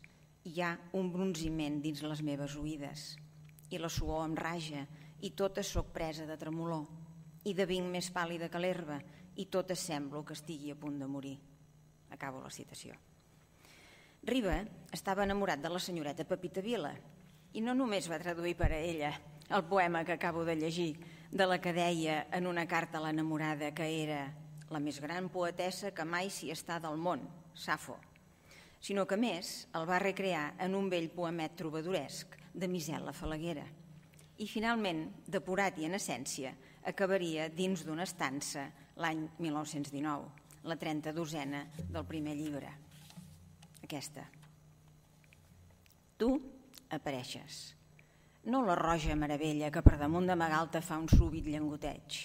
Hi ha un bronziment dins les meves oïdes i la suor em raja i tota soc presa de tremolor i de vinc més pàl·lida que l'herba i tota semblo que estigui a punt de morir». Acabo la citació. Riba estava enamorat de la senyoreta Pepita Vila i no només va traduir per a ella el poema que acabo de llegir, de la que deia en una carta a l'enamorada que era la més gran poetessa que mai s'hi està del món, Safo, sinó que més el va recrear en un vell poemet trobadoresc de Misel la Falaguera. I finalment, depurat i en essència, acabaria dins d'una estança l'any mil nou-cents dinou, la trenta-dosena del primer llibre. Aquesta. Tu apareixes. No la roja meravella que per damunt de Magalta fa un súbit llengoteig,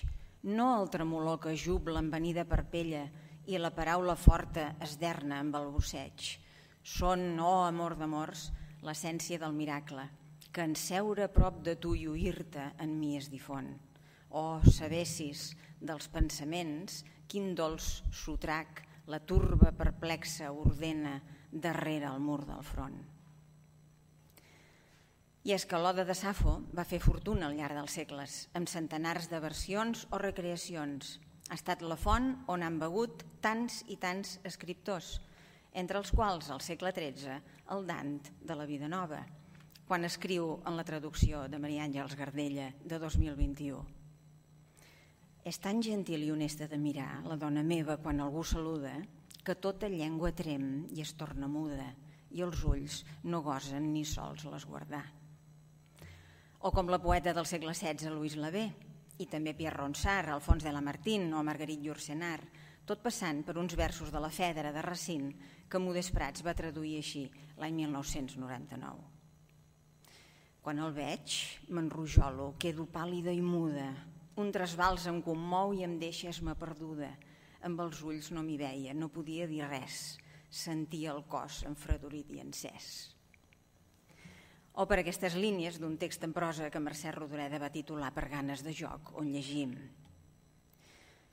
no el tremolor que jubla envenida per pella i la paraula forta esderna amb el busseig. Són, oh amor d'amors, l'essència del miracle, que en seure a prop de tu i oir-te en mi es difon. Oh, sabessis dels pensaments, quin dolç sotrac la turba perplexa ordena darrere el mur del front. I és que l'Oda de Safo va fer fortuna al llarg dels segles, amb centenars de versions o recreacions. Ha estat la font on han begut tants i tants escriptors, entre els quals, al segle tretze, el Dant de la Vida Nova, quan escriu en la traducció de Maria Àngels Gardella de dos mil vint-i-u. És tan gentil i honesta de mirar, la dona meva, quan algú saluda, que tota llengua trem i es torna muda, i els ulls no gosen ni sols l'esguardar. O com la poeta del segle setze, Louise Labé, i també Pierre Ronsard, Alfons de Lamartine o Marguerite Yourcenar, tot passant per uns versos de la Fèdera de Racine que Modest Prats va traduir així l'any mil nou-cents noranta-nou. Quan el veig, m'enrojolo, quedo pàl·lida i muda, un trasbals em commou i em deixa esma perduda. Amb els ulls no m'hi veia, no podia dir res, sentia el cos enfredorit i encès. O per aquestes línies d'un text en prosa que Mercè Rodoreda va titular Per ganes de joc, on llegim: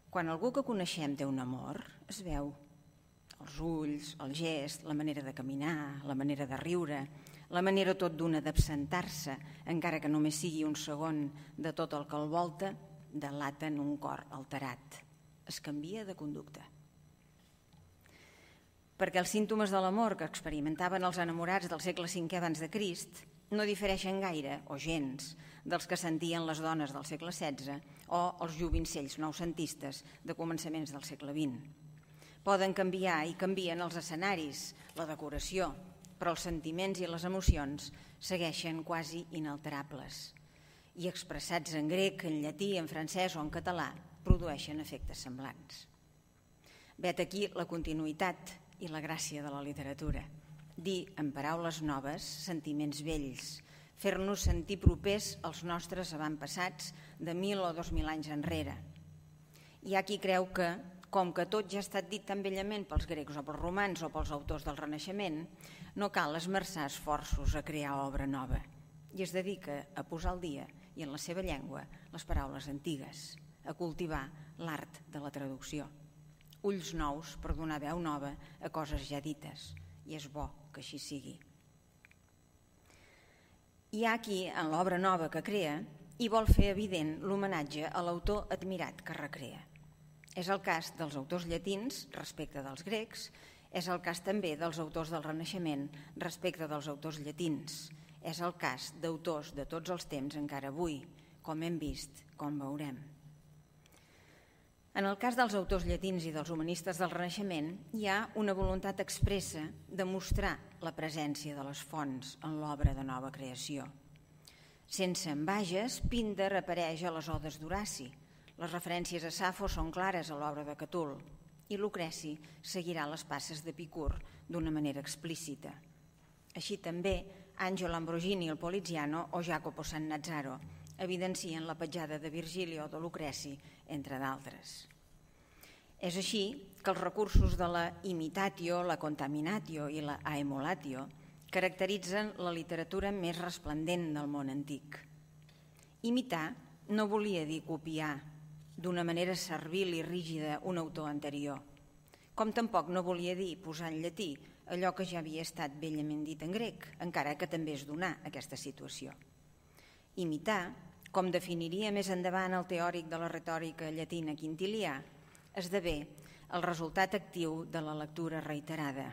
quan algú que coneixem té un amor, es veu. Els ulls, el gest, la manera de caminar, la manera de riure, la manera tot d'una d'absentar-se, encara que només sigui un segon de tot el que el volta, delaten un cor alterat. Es canvia de conducta. Perquè els símptomes de l'amor que experimentaven els enamorats del segle cinquè abans de Crist no difereixen gaire, o gens, dels que sentien les dones del segle setze o els jovencells noucentistes de començaments del segle vint. Poden canviar i canvien els escenaris, la decoració, però els sentiments i les emocions segueixen quasi inalterables i expressats en grec, en llatí, en francès o en català produeixen efectes semblants. Vet aquí la continuïtat i la gràcia de la literatura. Dir en paraules noves sentiments vells, fer-nos sentir propers als nostres avantpassats de mil o dos mil anys enrere. Hi ha qui creu que, com que tot ja ha estat dit tan bellament pels grecs o pels romans o pels autors del Renaixement, no cal esmerçar esforços a crear obra nova, i es dedica a posar al dia i en la seva llengua les paraules antigues, a cultivar l'art de la traducció. Ulls nous per donar veu nova a coses ja dites, i és bo que així sigui. Hi ha qui, en l'obra nova que crea, hi vol fer evident l'homenatge a l'autor admirat que recrea. És el cas dels autors llatins respecte dels grecs, és el cas també dels autors del Renaixement respecte dels autors llatins, és el cas d'autors de tots els temps encara avui, com hem vist, com veurem. En el cas dels autors llatins i dels humanistes del Renaixement hi ha una voluntat expressa de mostrar la presència de les fonts en l'obra de nova creació. Sense envages, Píndar apareix a les odes d'Horaci, les referències a Safo són clares a l'obra de Catul i Lucreci seguirà les passes d'Epicur d'una manera explícita. Així també Angelo Ambrogini, el Poliziano o Jacopo Sannazzaro evidencien la petjada de Virgili o de Lucreci, entre d'altres. És així que els recursos de la imitatio, la contaminatio i la aemulatio caracteritzen la literatura més resplendent del món antic. Imitar no volia dir copiar d'una manera servil i rígida un autor anterior, com tampoc no volia dir posar en llatí allò que ja havia estat bellament dit en grec, encara que també és donar aquesta situació. Imitar, com definiria més endavant el teòric de la retòrica llatina Quintilià, esdevé el resultat actiu de la lectura reiterada.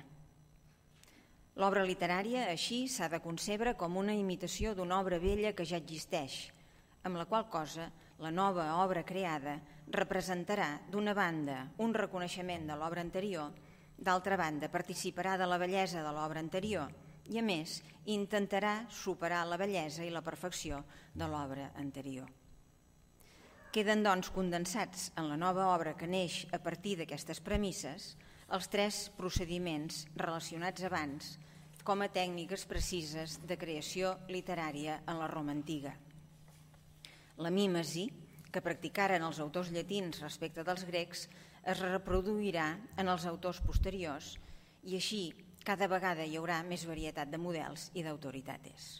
L'obra literària, així, s'ha de concebre com una imitació d'una obra vella que ja existeix, amb la qual cosa la nova obra creada representarà, d'una banda, un reconeixement de l'obra anterior, d'altra banda, participarà de la bellesa de l'obra anterior i, a més, intentarà superar la bellesa i la perfecció de l'obra anterior. Queden, doncs, condensats en la nova obra que neix a partir d'aquestes premisses els tres procediments relacionats abans com a tècniques precises de creació literària en la Roma antiga. La mímesi, que practicaren els autors llatins respecte dels grecs, es reproduirà en els autors posteriors i així cada vegada hi haurà més varietat de models i d'autoritates.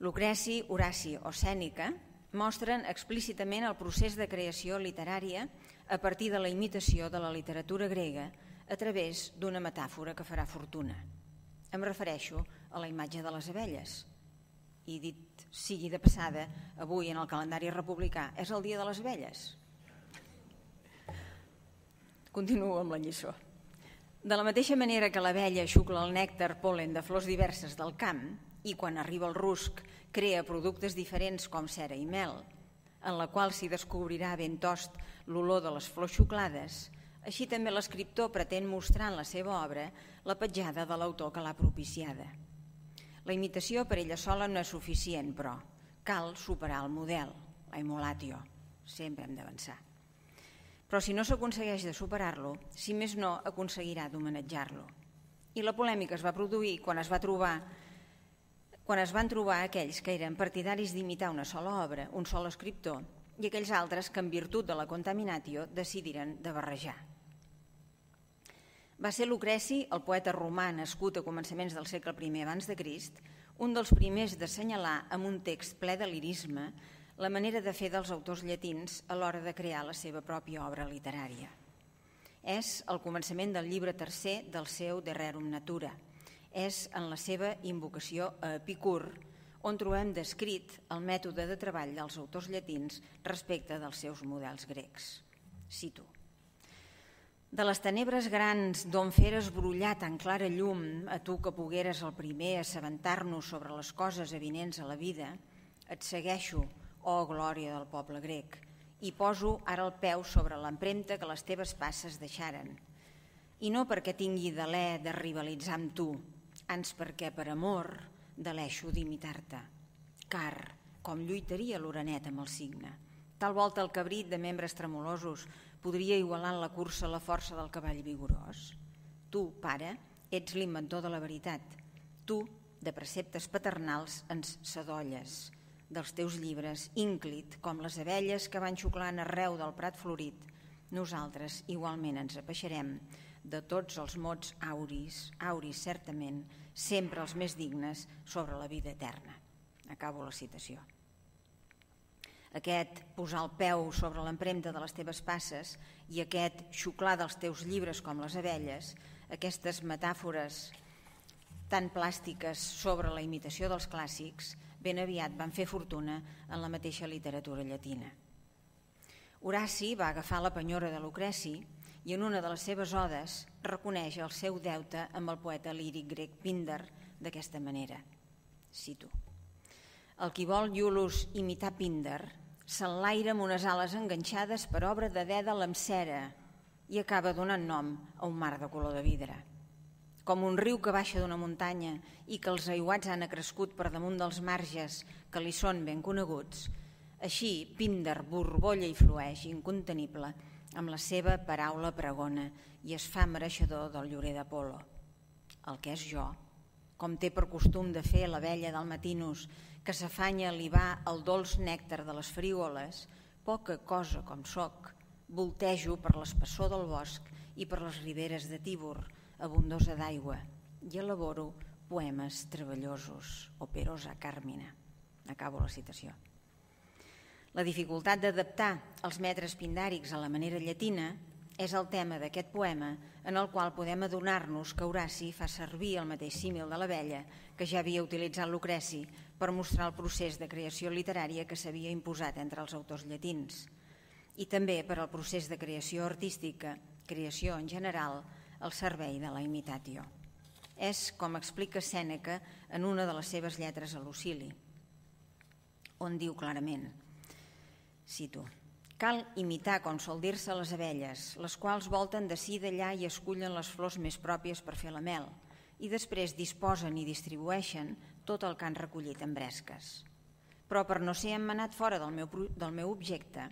Lucreci, Horaci o Sèneca mostren explícitament el procés de creació literària a partir de la imitació de la literatura grega a través d'una metàfora que farà fortuna. Em refereixo a la imatge de les abelles. I dit sigui de passada, avui en el calendari republicà és el dia de les abelles. Continuo amb la lliçó. De la mateixa manera que l'abella xucla el nèctar pol·len de flors diverses del camp i quan arriba el rusc crea productes diferents com cera i mel, en la qual s'hi descobrirà ben tost l'olor de les flors xuclades, així també l'escriptor pretén mostrar en la seva obra la petjada de l'autor que l'ha propiciada. La imitació per ella sola no és suficient, però cal superar el model, la emulatio. Sempre hem d'avançar. Però si no s'aconsegueix de superar-lo, si més no, aconseguirà d'homenatjar-lo. I la polèmica es va produir quan es va trobar quan es van trobar aquells que eren partidaris d'imitar una sola obra, un sol escriptor, i aquells altres que, en virtut de la contaminatio, decidiren de barrejar. Va ser Lucreci, el poeta romà nascut a començaments del segle primer abans de Crist, un dels primers d'assenyalar amb un text ple de lirisme la manera de fer dels autors llatins a l'hora de crear la seva pròpia obra literària. És el començament del llibre tercer del seu De Rerum Natura. És en la seva invocació a Epicur on trobem descrit el mètode de treball dels autors llatins respecte dels seus models grecs. Cito. De les tenebres grans d'on feres brollar tan clara llum, a tu que pogueres el primer assabentar-nos sobre les coses avinents a la vida, et segueixo, oh glòria del poble grec, i poso ara el peu sobre l'empremta que les teves passes deixaren. I no perquè tingui delè de rivalitzar amb tu, ans perquè per amor deleixo d'imitar-te, car com lluitaria l'orenet amb el cigne. Tal volta el cabrit de membres tremolosos podria igualar en la cursa la força del cavall vigorós. Tu, pare, ets l'inventor de la veritat. Tu, de preceptes paternals, ens sadolles. Dels teus llibres, ínclit, com les abelles que van xuclant arreu del prat florit, nosaltres igualment ens apeixerem de tots els mots auris, auris certament, sempre els més dignes sobre la vida eterna. Acabo la citació. Aquest posar el peu sobre l'empremta de les teves passes i aquest xuclar dels teus llibres com les abelles, aquestes metàfores tan plàstiques sobre la imitació dels clàssics, ben aviat van fer fortuna en la mateixa literatura llatina. Horaci va agafar la penyora de Lucreci i en una de les seves odes reconeix el seu deute amb el poeta líric grec Píndar d'aquesta manera. Cito. El qui vol Iulus imitar Píndar s'enlaira amb unes ales enganxades per obra de dèdal amb cera i acaba donant nom a un mar de color de vidre. Com un riu que baixa d'una muntanya i que els aiguats han acrescut per damunt dels marges que li són ben coneguts, així Píndar borbolla i flueix incontenible amb la seva paraula pregona i es fa mereixedor del llorer d'Apol·lo. El que és jo, com té per costum de fer l'abella del Matinus, que s'afanya a libar el dolç nèctar de les frígoles, poca cosa com soc, voltejo per l'espessor del bosc i per les riberes de Tíbor, abundosa d'aigua, i elaboro poemes treballosos, operosa Carmina. Acabo la citació. La dificultat d'adaptar els metres pindàrics a la manera llatina és el tema d'aquest poema en el qual podem adonar-nos que Horaci fa servir el mateix símil de l'abella que ja havia utilitzat Lucreci per mostrar el procés de creació literària que s'havia imposat entre els autors llatins i també per al procés de creació artística, creació en general, al servei de la imitatio. És com explica Sèneca en una de les seves lletres a Lucili, on diu clarament, cito, cal imitar, com sol dir-se, les abelles, les quals volten d'ací d'allà i escullen les flors més pròpies per fer la mel i després disposen i distribueixen tot el que han recollit en bresques. Però per no ser emmenat fora del meu, del meu objecte,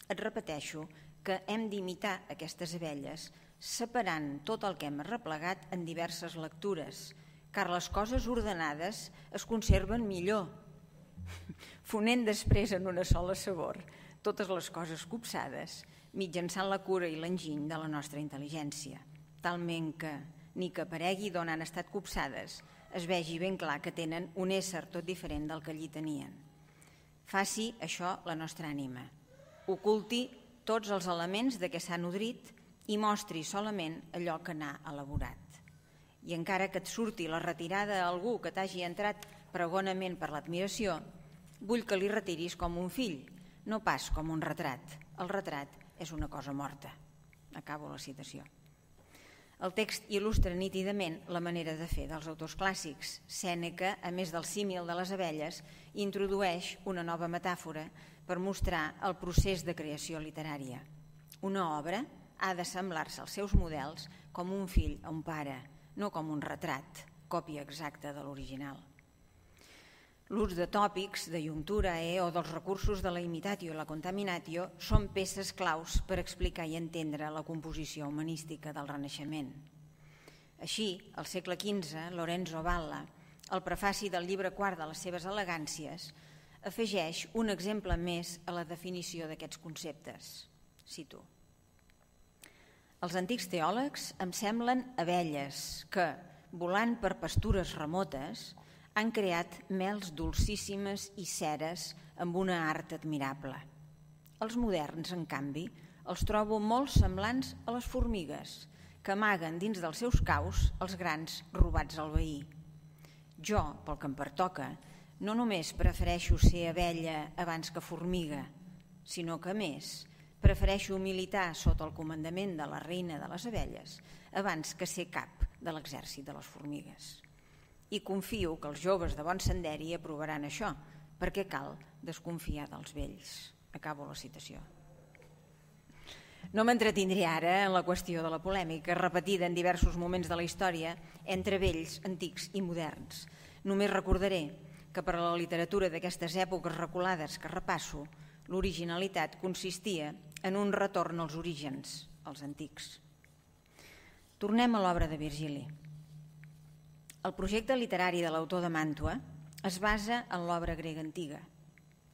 et repeteixo que hem d'imitar aquestes abelles separant tot el que hem arreplegat en diverses lectures car les coses ordenades es conserven millor, fonent després en una sola sabor totes les coses copsades, mitjançant la cura i l'enginy de la nostra intel·ligència, talment que, ni que aparegui d'on han estat copsades, es vegi ben clar que tenen un ésser tot diferent del que allí tenien. Faci això la nostra ànima, oculti tots els elements de què s'ha nodrit i mostri solament allò que n'ha elaborat. I encara que et surti la retirada a algú que t'hagi entrat pregonament per l'admiració, vull que li retiris com un fill, no pas com un retrat. El retrat és una cosa morta. Acabo la citació. El text il·lustra nítidament la manera de fer dels autors clàssics. Sèneca, a més del símil de les abelles, introdueix una nova metàfora per mostrar el procés de creació literària. Una obra ha de semblar-se als seus models com un fill a un pare, no com un retrat, còpia exacta de l'original. L'ús de tòpics, de iuncturae o dels recursos de la imitatio i la contaminatio són peces claus per explicar i entendre la composició humanística del Renaixement. Així, al segle quinze, Lorenzo Valla, al prefaci del llibre quart de les seves elegàncies, afegeix un exemple més a la definició d'aquests conceptes. Cito: els antics teòlegs em semblen abelles que, volant per pastures remotes, han creat mels dolcíssimes i ceres amb una art admirable. Els moderns, en canvi, els trobo molt semblants a les formigues, que amaguen dins dels seus caus els grans robats al veí. Jo, pel que em pertoca, no només prefereixo ser abella abans que formiga, sinó que, a més, prefereixo militar sota el comandament de la reina de les abelles abans que ser cap de l'exèrcit de les formigues. I confio que els joves de bon senderi aprovaran això, perquè cal desconfiar dels vells. Acabo la citació. No m'entretindré ara en la qüestió de la polèmica, repetida en diversos moments de la història entre vells, antics i moderns. Només recordaré que per a la literatura d'aquestes èpoques reculades que repasso, l'originalitat consistia en un retorn als orígens, als antics. Tornem a l'obra de Virgili. El projecte literari de l'autor de Màntua es basa en l'obra grega antiga.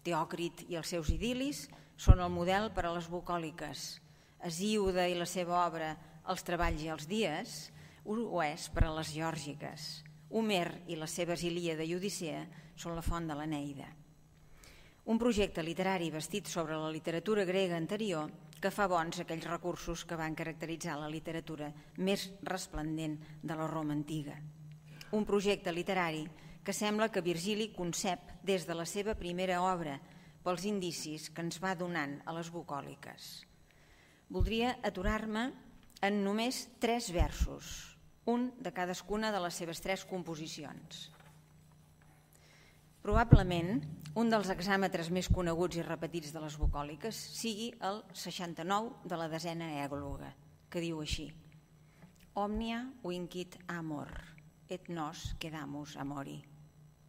Teòcrit i els seus idil·lis són el model per a les bucòliques. Hesíode i la seva obra Els treballs i els dies ho és per a les geòrgiques. Homer i les seves Ilíada i Odissea són la font de l'Eneida. Un projecte literari bastit sobre la literatura grega anterior que fa bons aquells recursos que van caracteritzar la literatura més resplendent de la Roma antiga. Un projecte literari que sembla que Virgili concep des de la seva primera obra pels indicis que ens va donant a les bucòliques. Voldria aturar-me en només tres versos, un de cadascuna de les seves tres composicions. Probablement, un dels hexàmetres més coneguts i repetits de les bucòliques sigui el seixanta-nou de la desena ègloga, que diu així: Omnia vincit amor, et nos quedamus amori.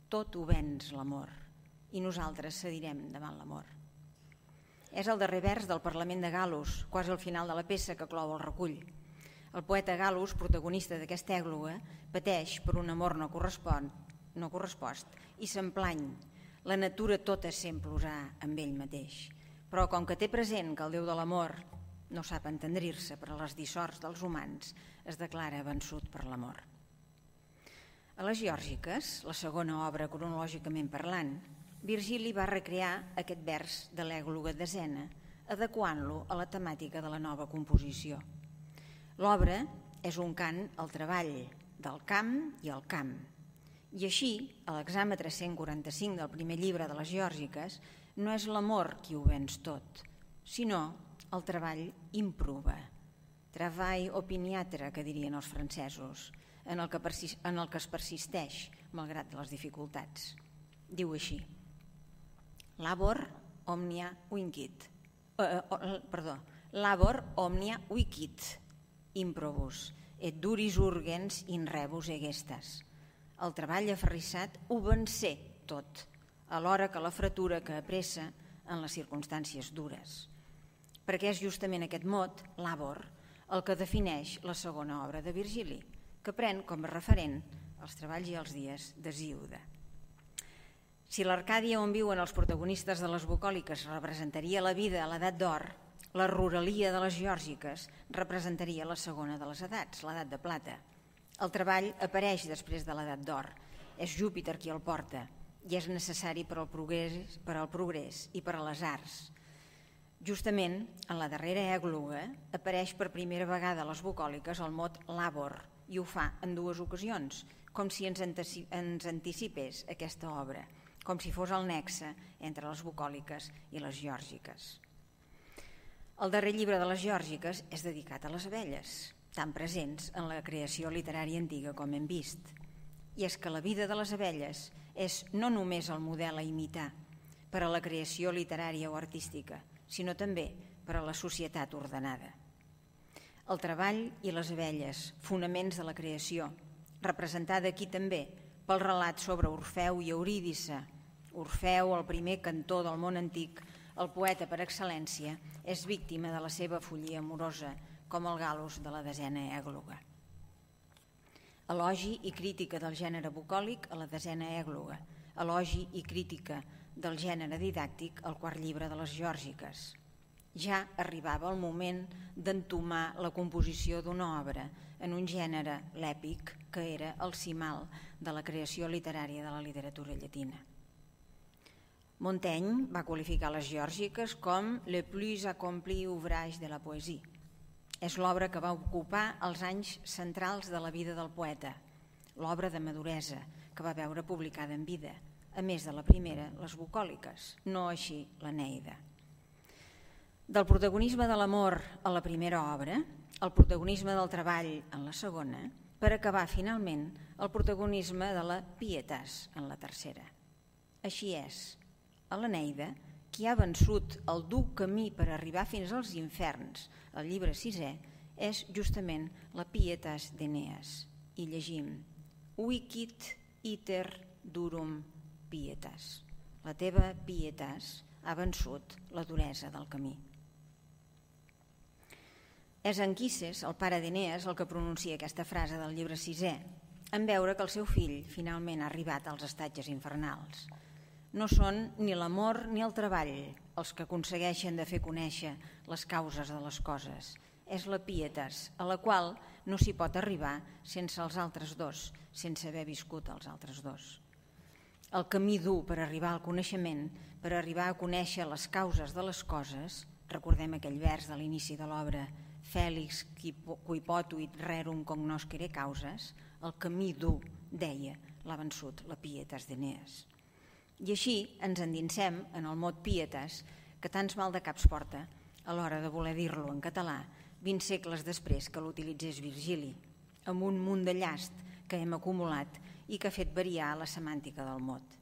Tot ho venç l'amor, i nosaltres cedirem davant l'amor. És el darrer vers del Parlament de Gal·lus, quasi al final de la peça que clou el recull. El poeta Gal·lus, protagonista d'aquesta ègloga, pateix per un amor no correspon, no correspost i s'emplany. La natura tota sent plorar amb ell mateix. Però com que té present que el Déu de l'amor no sap entendrir-se per a les dissorts dels humans, es declara vençut per l'amor. A les Geòrgiques, la segona obra cronològicament parlant, Virgili va recrear aquest vers de l'ègloga desena, adequant-lo a la temàtica de la nova composició. L'obra és un cant al treball, del camp i al camp. I així, a l'hexàmetre cent quaranta-cinc del primer llibre de les Geòrgiques, no és l'amor qui ho venç tot, sinó el treball improva. Travail opiniatre, que dirien els francesos, en el que, en el que es persisteix, malgrat les dificultats. Diu així: Labor omnia vincit. Eh, eh, perdó, labor omnia vicit, improbus, et duris urgens in rebus egestas. El treball aferrissat ho vencé tot, alhora que la fretura que apressa en les circumstàncies dures. Perquè és justament aquest mot, labor, el que defineix la segona obra de Virgili, que pren com a referent els treballs i els dies d'Hesíode. Si l'Arcàdia on viuen els protagonistes de les bucòliques representaria la vida a l'edat d'or, la ruralia de les geòrgiques representaria la segona de les edats, l'edat de plata. El treball apareix després de l'edat d'or, és Júpiter qui el porta i és necessari per al progrés, per al progrés i per a les arts. Justament, en la darrera ègloga apareix per primera vegada a les bucòliques el mot labor i ho fa en dues ocasions, com si ens anticipés aquesta obra, com si fos el nexe entre les bucòliques i les geòrgiques. El darrer llibre de les geòrgiques és dedicat a les abelles, tan presents en la creació literària antiga com hem vist. I és que la vida de les abelles és no només el model a imitar per a la creació literària o artística, sinó també per a la societat ordenada. El treball i les abelles, fonaments de la creació, representada aquí també pel relat sobre Orfeu i Eurídice. Orfeu, el primer cantor del món antic, el poeta per excel·lència, és víctima de la seva follia amorosa, com el Gal·lus de la desena ègloga. Elogi i crítica del gènere bucòlic a la desena ègloga, elogi i crítica del gènere didàctic al quart llibre de les geòrgiques. Ja arribava el moment d'entomar la composició d'una obra en un gènere, l'èpic, que era el cimal de la creació literària de la literatura llatina. Montaigne va qualificar les geòrgiques com le plus accompli ouvrage de la poésie. És l'obra que va ocupar els anys centrals de la vida del poeta, l'obra de maduresa que va veure publicada en vida, a més de la primera, les bucòliques, no així l'Eneida. Del protagonisme de l'amor a la primera obra, el protagonisme del treball en la segona, per acabar finalment el protagonisme de la pietas en la tercera. Així és, a l'Eneida, qui ha vençut el dur camí per arribar fins als inferns, el llibre sisè, és justament la pietas d'Eneas. I llegim: Vicit iter durum pietas. La teva pietas ha vençut la duresa del camí. És Anquises, el pare d'Eneas, el que pronuncia aquesta frase del llibre sisè, en veure que el seu fill finalment ha arribat als estatges infernals. No són ni l'amor ni el treball els que aconsegueixen de fer conèixer les causes de les coses. És la pietas, a la qual no s'hi pot arribar sense els altres dos, sense haver viscut els altres dos. El camí dur per arribar al coneixement, per arribar a conèixer les causes de les coses, recordem aquell vers de l'inici de l'obra, Fèlix qui potuit rerum cognoscere causas, el camí dur, deia, l'ha vençut la pietas d'Eneas. I així ens endinsem en el mot pietas, que tants mal de caps porta a l'hora de voler dir-lo en català vint segles després que l'utilitzés Virgili, amb un munt de llast que hem acumulat i que ha fet variar la semàntica del mot.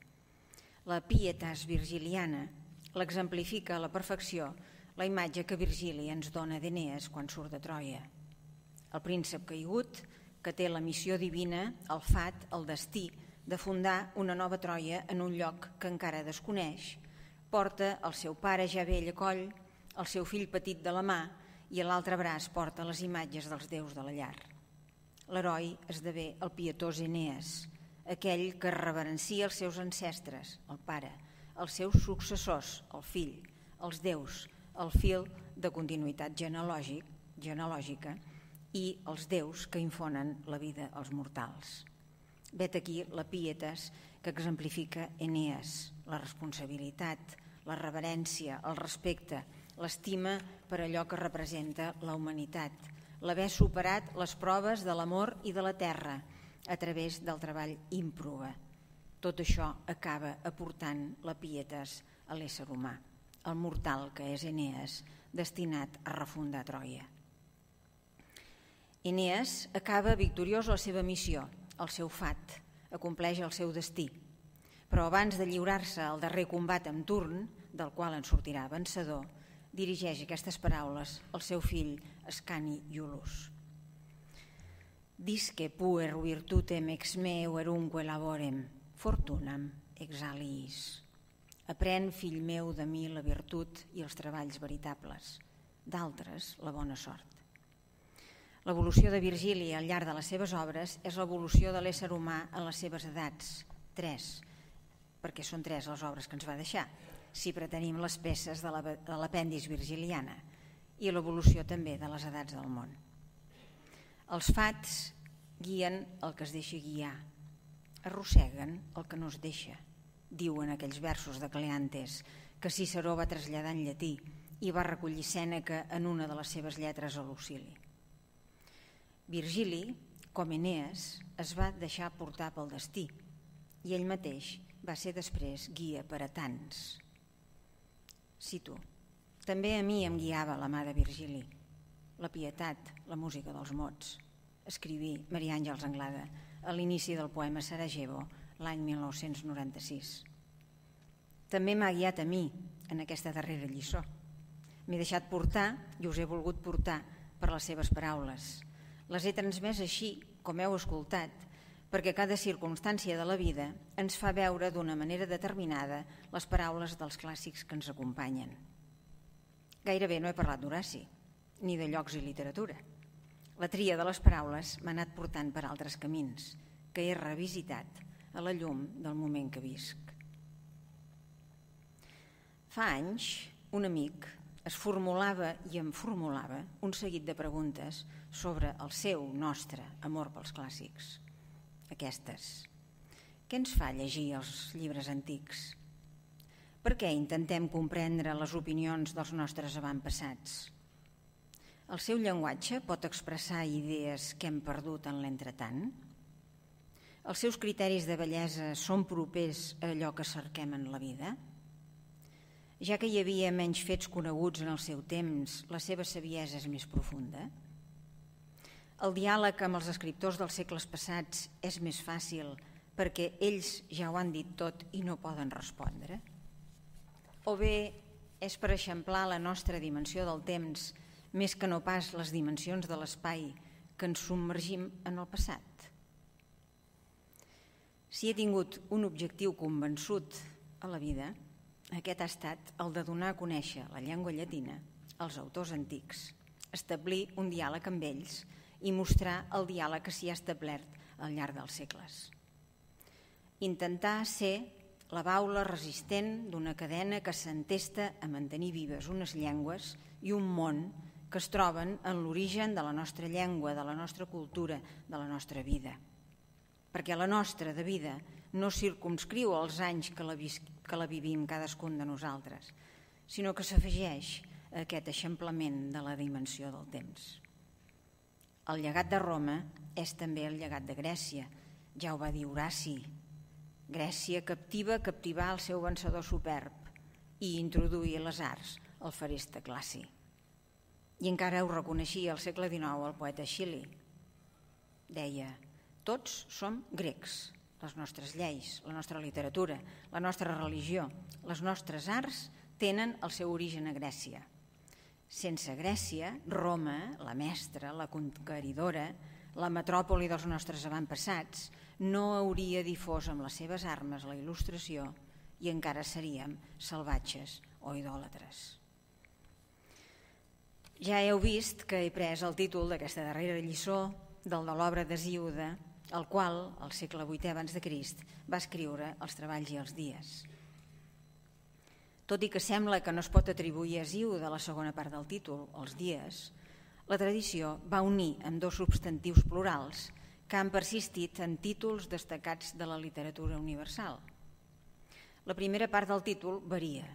La pietas virgiliana l'exemplifica a la perfecció la imatge que Virgili ens dona d'Eneas quan surt de Troia. El príncep caigut, que té la missió divina, el fat, el destí, de fundar una nova Troia en un lloc que encara desconeix, porta el seu pare ja vell a coll, el seu fill petit de la mà i a l'altre braç porta les imatges dels déus de la llar. L'heroi esdevé el pietós Eneas, aquell que reverencia els seus ancestres, el pare, els seus successors, el fill, els déus, el fil de continuïtat genealògic, genealògica i els déus que infonen la vida als mortals. Vet aquí la pietas que exemplifica Eneas, la responsabilitat, la reverència, el respecte, l'estima per allò que representa la humanitat, l'haver superat les proves de l'amor i de la terra a través del treball ímprobe. Tot això acaba aportant la pietas a l'ésser humà, el mortal que és Eneas, destinat a refundar Troia. Eneas acaba victoriós la seva missió, el seu fat, acompleix el seu destí, però abans de lliurar-se al darrer combat amb turn, del qual en sortirà vencedor, dirigeix aquestes paraules al seu fill Ascani Iulus. Disque puer virtutem ex meu erunque laborem, fortunam exaliis. Aprèn, fill meu, de mi la virtut i els treballs veritables, d'altres la bona sort. L'evolució de Virgili al llarg de les seves obres és l'evolució de l'ésser humà en les seves edats, tres, perquè són tres les obres que ens va deixar, si pretenim les peces de l'apèndix virgiliana, i l'evolució també de les edats del món. Els fats guien el que es deixa guiar, arrosseguen el que no es deixa, diuen aquells versos de Cleantes que Ciceró va traslladar en llatí i va recollir Sèneca en una de les seves lletres a Lucili. Virgili, com Enees, es va deixar portar pel destí i ell mateix va ser després guia per a tants. Cito: també a mi em guiava la mà de Virgili, la pietat, la música dels mots. Escriví Maria Àngels Anglada a l'inici del poema Sarajevo l'any mil nou-cents noranta-sis. També m'ha guiat a mi en aquesta darrera lliçó. M'he deixat portar i us he volgut portar per les seves paraules. Les he transmès així, com heu escoltat, perquè cada circumstància de la vida ens fa veure d'una manera determinada les paraules dels clàssics que ens acompanyen. Gairebé no he parlat d'Horaci, ni de llocs i literatura. La tria de les paraules m'ha anat portant per altres camins, que he revisitat a la llum del moment que visc. Fa anys, un amic es formulava i em formulava un seguit de preguntes sobre el seu, nostre, amor pels clàssics. Aquestes. Què ens fa llegir els llibres antics? Per què intentem comprendre les opinions dels nostres avantpassats? El seu llenguatge pot expressar idees que hem perdut en l'entretant? Els seus criteris de bellesa són propers a allò que cerquem en la vida? Ja que hi havia menys fets coneguts en el seu temps, la seva saviesa és més profunda? El diàleg amb els escriptors dels segles passats és més fàcil perquè ells ja ho han dit tot i no poden respondre? O bé és per eixamplar la nostra dimensió del temps més que no pas les dimensions de l'espai que ens submergim en el passat? Si he tingut un objectiu convençut a la vida, aquest ha estat el de donar a conèixer la llengua llatina als autors antics, establir un diàleg amb ells i mostrar el diàleg que s'hi ha establert al llarg dels segles. Intentar ser la baula resistent d'una cadena que s'entesta a mantenir vives unes llengües i un món que es troben en l'origen de la nostra llengua, de la nostra cultura, de la nostra vida. Perquè la nostra de vida no circumscriu els anys que la, que la vivim cadascun de nosaltres, sinó que s'afegeix a aquest eixamplament de la dimensió del temps. El llegat de Roma és també el llegat de Grècia, ja ho va dir Horaci. Grècia captiva captivà el seu vencedor superb i introduir les arts al feresta classi. I encara ho reconeixia al segle dinou el poeta Schilly. Deia: tots som grecs, les nostres lleis, la nostra literatura, la nostra religió, les nostres arts tenen el seu origen a Grècia. Sense Grècia, Roma, la mestra, la conqueridora, la metròpoli dels nostres avantpassats, no hauria difós amb les seves armes la il·lustració i encara seríem salvatges o idòlatres. Ja heu vist que he pres el títol d'aquesta darrera lliçó del de l'obra d'Hesíode, el qual, al segle vuitè abans de Crist, va escriure Els treballs i els dies. Tot i que sembla que no es pot atribuir a Hesíode a la segona part del títol, els dies, la tradició va unir amb dos substantius plurals que han persistit en títols destacats de la literatura universal. La primera part del títol varia,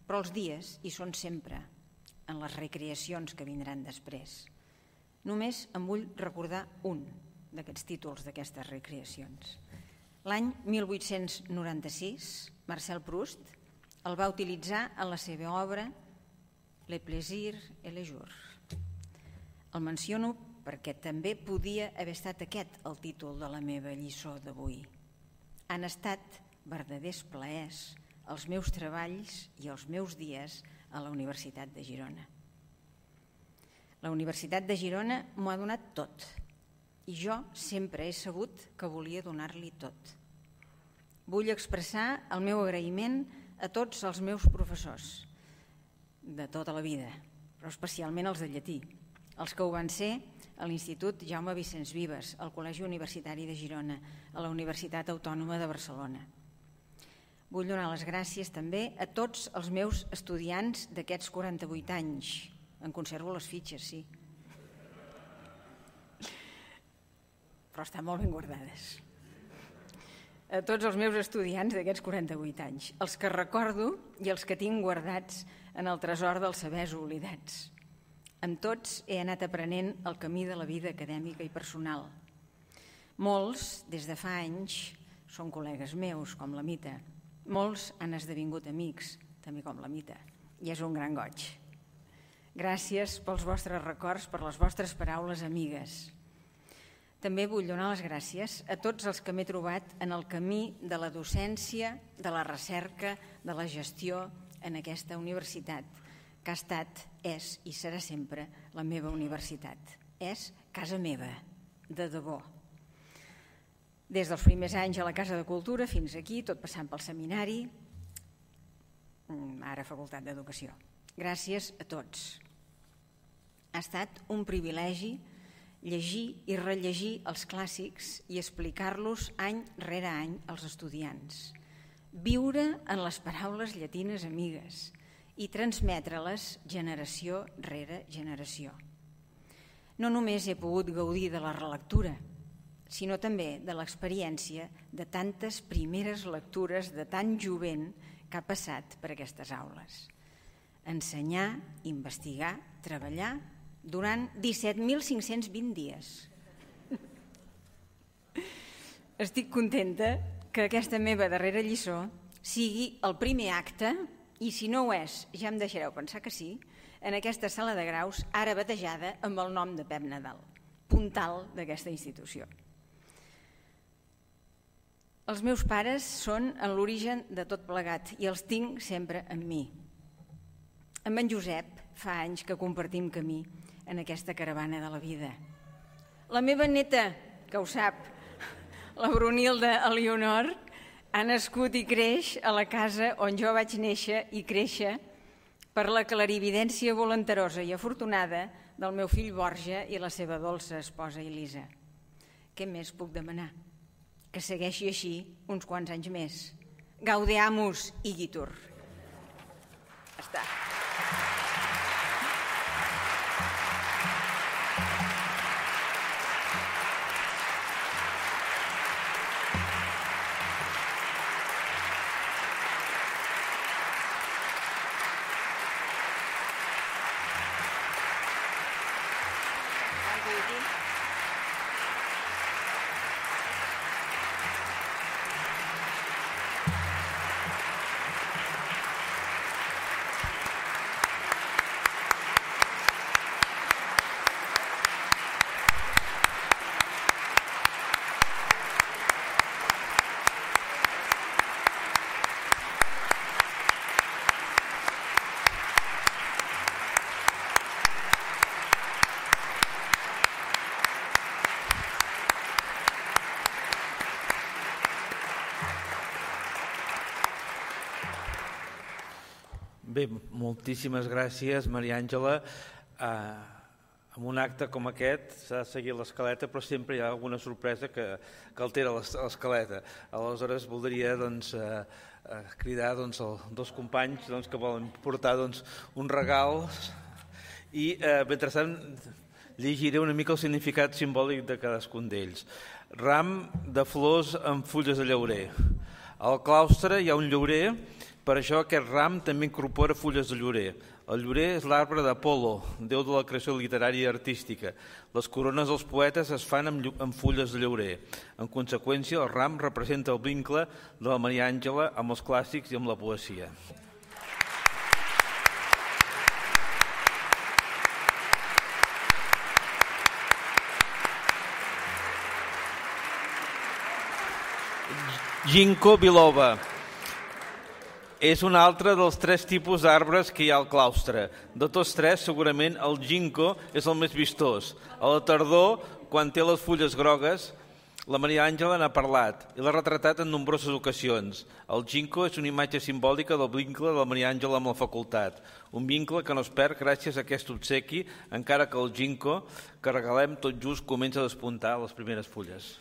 però els dies hi són sempre, en les recreacions que vindran després. Només em vull recordar un d'aquests títols d'aquestes recreacions. L'any mil vuit-cents noranta-sis, Marcel Proust el va utilitzar en la seva obra Le plaisir et le jour. El menciono perquè també podia haver estat aquest el títol de la meva lliçó d'avui. Han estat verdaders plaers els meus treballs i els meus dies a la Universitat de Girona. La Universitat de Girona m'ho ha donat tot i jo sempre he sabut que volia donar-li tot. Vull expressar el meu agraïment a tots els meus professors de tota la vida, però especialment els de llatí, els que ho van ser a l'Institut Jaume Vicenç Vives, al Col·legi Universitari de Girona, a la Universitat Autònoma de Barcelona. Vull donar les gràcies també a tots els meus estudiants d'aquests quaranta-vuit anys. En conservo les fitxes, sí. Però estan molt ben guardades. A tots els meus estudiants d'aquests quaranta-vuit anys, els que recordo i els que tinc guardats en el tresor dels sabers oblidats. Amb tots he anat aprenent el camí de la vida acadèmica i personal. Molts, des de fa anys, són col·legues meus, com la Mita. Molts han esdevingut amics, també com la Mita, i és un gran goig. Gràcies pels vostres records, per les vostres paraules amigues. També vull donar les gràcies a tots els que m'he trobat en el camí de la docència, de la recerca, de la gestió en aquesta universitat, que ha estat, és i serà sempre la meva universitat. És casa meva, de debò. Des dels primers anys a la Casa de Cultura fins aquí, tot passant pel seminari, ara Facultat d'Educació. Gràcies a tots. Ha estat un privilegi llegir i rellegir els clàssics i explicar-los any rere any als estudiants. Viure en les paraules llatines amigues i transmetre-les generació rere generació. No només he pogut gaudir de la relectura, sinó també de l'experiència de tantes primeres lectures de tan jovent que ha passat per aquestes aules. Ensenyar, investigar, treballar durant disset mil cinc-cents vint dies. Estic contenta que aquesta meva darrera lliçó sigui el primer acte, i si no ho és, ja em deixareu pensar que sí, en aquesta sala de graus, ara batejada amb el nom de Pep Nadal, puntal d'aquesta institució. Els meus pares són en l'origen de tot plegat i els tinc sempre amb mi. Amb en Josep fa anys que compartim camí en aquesta caravana de la vida. La meva neta, que ho sap, la Brunilda Elionor, ha nascut i creix a la casa on jo vaig néixer i créixer per la clarividència volenterosa i afortunada del meu fill Borja i la seva dolça esposa Elisa. Què més puc demanar? Que segueixi així uns quants anys més. Gaudeamus igitur. Està. Bé, moltíssimes gràcies, Maria Àngela. Eh, en un acte com aquest s'ha de seguir l'escaleta, però sempre hi ha alguna sorpresa que, que altera l'escaleta. Aleshores, voldria doncs, eh, eh, cridar doncs, els dos companys doncs, que volen portar doncs, un regal i, eh, mentrestant, llegiré una mica el significat simbòlic de cadascun d'ells. Ram de flors amb fulles de llaurer. Al claustre hi ha un llaurer. Per això aquest ram també incorpora fulles de llorer. El llorer és l'arbre d'Apol·lo, déu de la creació literària i artística. Les corones dels poetes es fan amb, amb fulles de llorer. En conseqüència, el ram representa el vincle de la Maria Àngela amb els clàssics i amb la poesia. Ginkgo biloba. És un altre dels tres tipus d'arbres que hi ha al claustre. De tots tres, segurament el ginkgo és el més vistós. A la tardor, quan té les fulles grogues, La Maria Àngela n'ha parlat i l'ha retratat en nombroses ocasions. El Ginkgo és una imatge simbòlica del vincle de la Maria Àngela amb la facultat, un vincle que no es perd gràcies a aquest obsequi, encara que el Ginkgo que regalem tot just comença a despuntar les primeres fulles.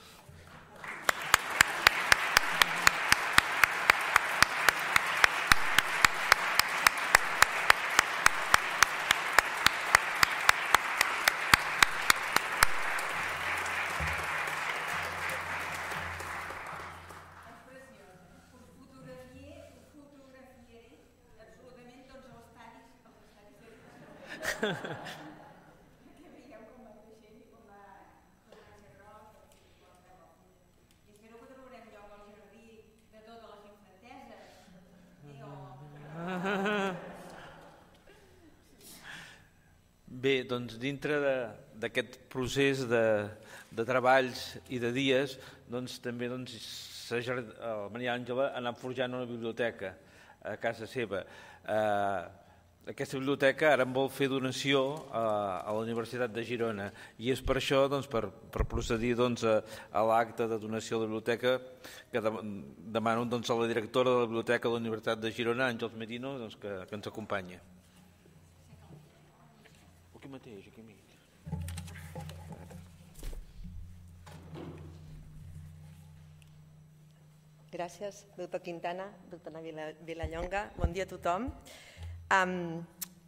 Bé, doncs dintre d'aquest procés de, de treballs i de dies, doncs també doncs, la Maria Àngela ha anat forjant una biblioteca a casa seva. Eh, Aquesta biblioteca ara en vol fer donació a, a la Universitat de Girona i és per això, doncs, per, per procedir doncs, a, a l'acte de donació de la biblioteca que de, demano doncs, a la directora de la Biblioteca de la Universitat de Girona, Àngels Merino, doncs, que, que ens acompanyi. Aquí mateix, aquí mig. Gràcies, doctor Quintana, doctora Vilallonga. Bon dia a tothom. Um,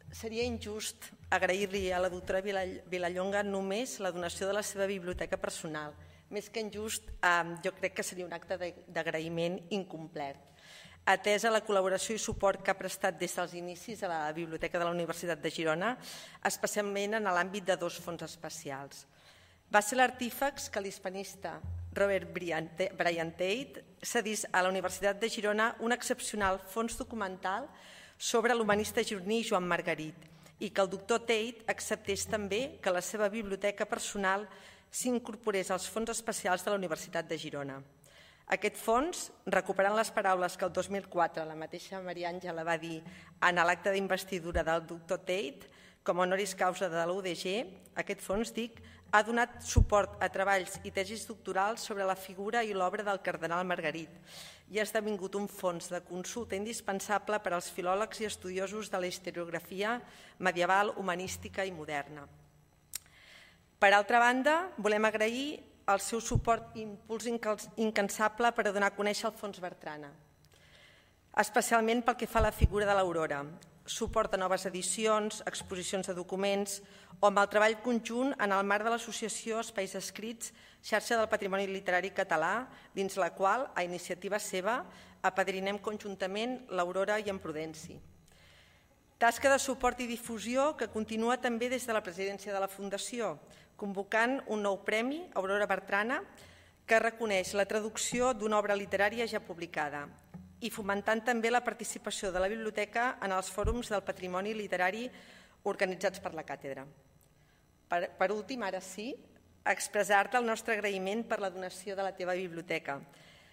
seria injust agrair-li a la doctora Vilallonga només la donació de la seva biblioteca personal. Més que injust, um, jo crec que seria un acte d'agraïment incomplet. Atesa la col·laboració i suport que ha prestat des dels inicis a la Biblioteca de la Universitat de Girona, especialment en l'àmbit de dos fons especials. Va ser l'artífex que l'hispanista Robert Brian Tate cedís a la Universitat de Girona un excepcional fons documental sobre l'humanista gironí Joan Margarit i que el doctor Tate acceptés també que la seva biblioteca personal s'incorporés als fons especials de la Universitat de Girona. Aquest fons, recuperant les paraules que el dos mil quatre la mateixa Maria Àngela va dir en l'acte d'investidura del doctor Tate, com a honoris causa de la U D G, aquest fons, dic, ha donat suport a treballs i tesis doctorals sobre la figura i l'obra del cardenal Margarit i ha esdevingut un fons de consulta indispensable per als filòlegs i estudiosos de la historiografia medieval, humanística i moderna. Per altra banda, volem agrair el seu suport i impuls incansable per a donar a conèixer el Fons Bertrana, especialment pel que fa a la figura de l'Aurora, suport a noves edicions, exposicions de documents o amb el treball conjunt en el marc de l'associació Espais Escrits, xarxa del patrimoni literari català, dins la qual, a iniciativa seva, apadrinem conjuntament l'Aurora i en Prudenci. Tasca de suport i difusió que continua també des de la presidència de la Fundació, convocant un nou premi, Aurora Bertrana, que reconeix la traducció d'una obra literària ja publicada i fomentant també la participació de la biblioteca en els fòrums del patrimoni literari organitzats per la càtedra. Per, per últim, ara sí, expressar-te el nostre agraïment per la donació de la teva biblioteca.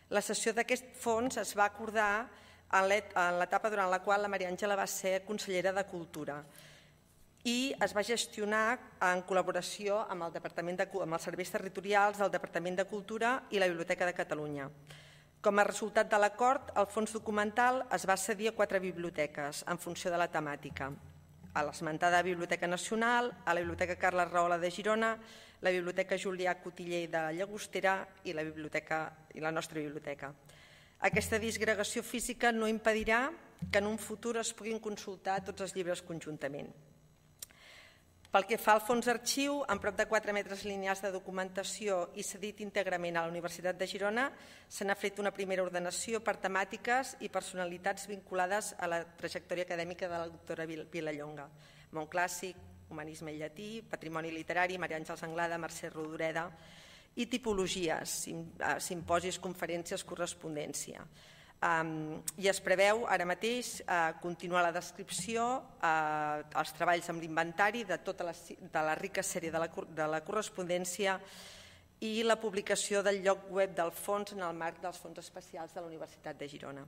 La cessió d'aquest fons es va acordar en l'etapa durant la qual la Maria Àngela va ser consellera de Cultura i es va gestionar en col·laboració amb, el Departament de, amb els serveis territorials del Departament de Cultura i la Biblioteca de Catalunya. Com a resultat de l'acord, el fons documental es va cedir a quatre biblioteques en funció de la temàtica. A l'esmentada Biblioteca Nacional, a la Biblioteca Carles Rahola de Girona, la Biblioteca Julià Cotiller de Llagostera i la, biblioteca, i la nostra biblioteca. Aquesta disgregació física no impedirà que en un futur es puguin consultar tots els llibres conjuntament. Pel que fa al fons arxiu, amb prop de quatre metres lineals de documentació i cedit íntegrament a la Universitat de Girona, se n'ha fet una primera ordenació per temàtiques i personalitats vinculades a la trajectòria acadèmica de la doctora Vilallonga. Món clàssic, humanisme i llatí, patrimoni literari, Maria Àngels Anglada, Mercè Rodoreda, i tipologies, simposis, conferències, correspondència. I es preveu ara mateix continuar la descripció, els treballs amb l'inventari de tota la, de la rica sèrie de la, de la correspondència i la publicació del lloc web del fons en el marc dels fons especials de la Universitat de Girona.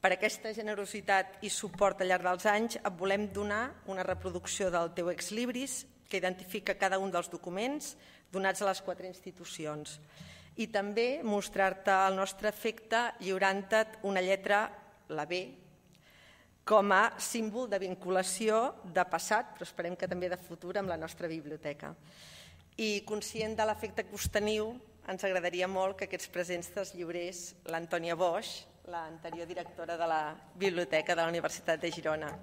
Per aquesta generositat i suport al llarg dels anys et volem donar una reproducció del teu ex libris que identifica cada un dels documents donats a les quatre institucions. I també mostrar-te el nostre afecte lliurant-te una lletra, la B, com a símbol de vinculació de passat, però esperem que també de futur, amb la nostra biblioteca. I conscient de l'afecte que us teniu, ens agradaria molt que aquests presents te'ls lliurés l'Antònia Boix, l'anterior directora de la Biblioteca de la Universitat de Girona.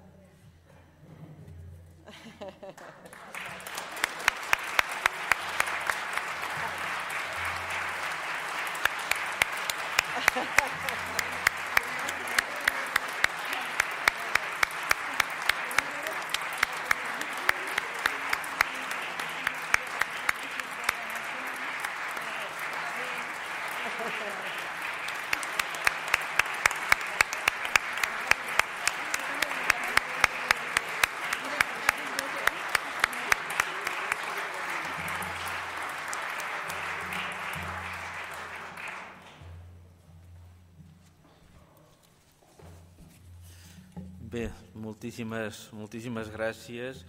Bé, moltíssimes, moltíssimes gràcies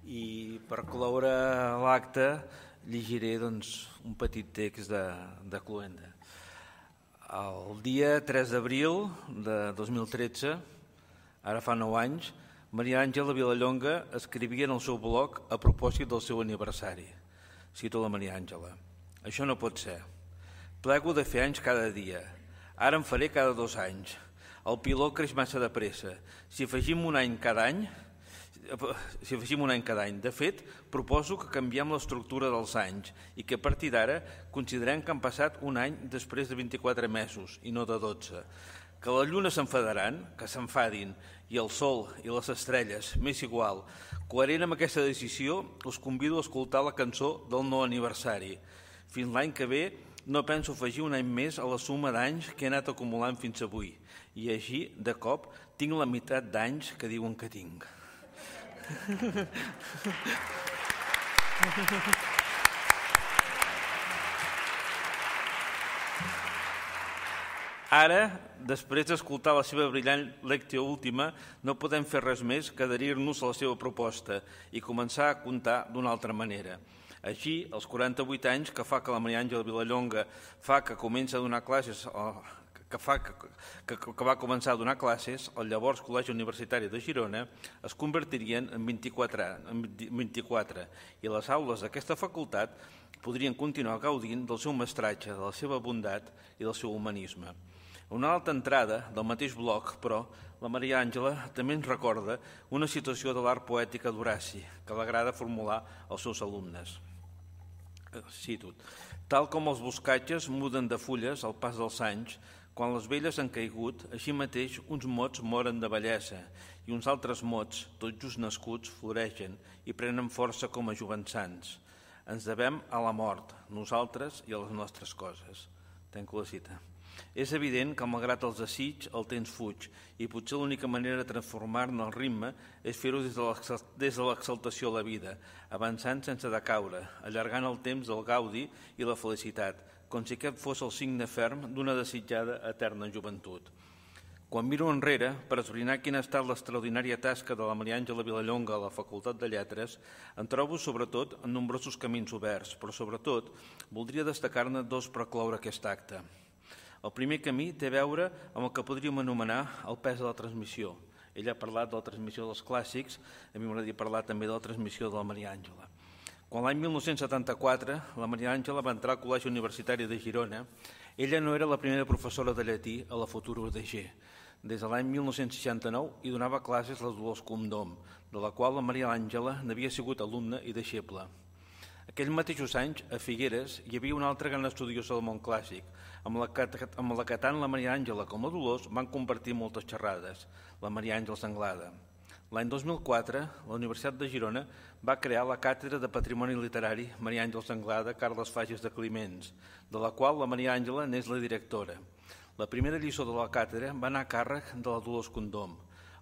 i per cloure l'acte llegiré doncs, un petit text de, de Cloenda. El dia tres d'abril de dos mil tretze, ara fa nou anys, Maria Àngela Vilallonga escrivia en el seu blog a propòsit del seu aniversari. Cito la Maria Àngela. Això no pot ser. Plego de fer anys cada dia. Ara en faré cada dos anys. El piló creix massa de pressa. Si afegim un any cada any, si afegim un any cada any, de fet, proposo que canviem l'estructura dels anys i que a partir d'ara considerem que han passat un any després de vint-i-quatre mesos i no de dotze. Que la lluna s'enfadaran, que s'enfadin, i el sol i les estrelles, m'és igual. Coherent amb aquesta decisió, us convido a escoltar la cançó del no aniversari. Fins l'any que ve no penso afegir un any més a la suma d'anys que he anat acumulant fins avui. I així, de cop, tinc la meitat d'anys que diuen que tinc. Ara, després d'escoltar la seva brillant lectio última, no podem fer res més que adherir-nos a la seva proposta i començar a comptar d'una altra manera. Així, als quaranta-vuit anys que fa que la Maria Àngela Vilallonga fa que comença a donar classes, que, fa, que, que, que va començar a donar classes, el llavors Col·legi Universitari de Girona es convertirien en vint-i-quatre, en vint-i-quatre i les aules d'aquesta facultat podrien continuar gaudint del seu mestratge, de la seva bondat i del seu humanisme. Una altra entrada del mateix bloc, però, la Maria Àngela també ens recorda una situació de l'art poètica d'Horaci que l'agrada formular als seus alumnes. Cito: tal com els boscatges muden de fulles al pas dels anys, quan les velles han caigut, així mateix uns mots moren de bellesa i uns altres mots, tot just nascuts, floreixen i prenen força com a jovençants. Ens devem a la mort, nosaltres i a les nostres coses. Tanco la cita. És evident que, malgrat els desigs, el temps fuig i potser l'única manera de transformar-ne el ritme és fer-ho des de l'exaltació a la vida, avançant sense decaure, allargant el temps del gaudi i la felicitat, com si aquest fos el signe ferm d'una desitjada eterna joventut. Quan miro enrere, per esbrinar quina ha estat l'extraordinària tasca de la Maria Àngela Vilallonga a la Facultat de Lletres, en trobo sobretot en nombrosos camins oberts, però sobretot voldria destacar-ne dos per cloure aquest acte. El primer camí té a veure amb el que podríem anomenar el pes de la transmissió. Ella ha parlat de la transmissió dels clàssics, a mi m'agradaria parlar també de la transmissió de la Maria Àngela. Quan l'any mil nou-cents setanta-quatre la Maria Àngela va entrar al Col·legi Universitari de Girona, ella no era la primera professora de llatí a la futura U D G. Des de l'any mil nou-cents seixanta-nou hi donava classes la Dolors Condom, de la qual la Maria Àngela n'havia sigut alumna i deixeble. Aquells mateixos anys, a Figueres, hi havia una altra gran estudiosa del món clàssic, amb la que, amb la que tant la Maria Àngela com la Dolors van compartir moltes xerrades, la Maria Àngels Anglada. L'any dos mil quatre, la Universitat de Girona va crear la Càtedra de Patrimoni Literari Maria Àngels Anglada Carles Fages de Climents, de la qual la Maria Àngela n'és la directora. La primera lliçó de la càtedra va anar a càrrec de la Dolors Condom.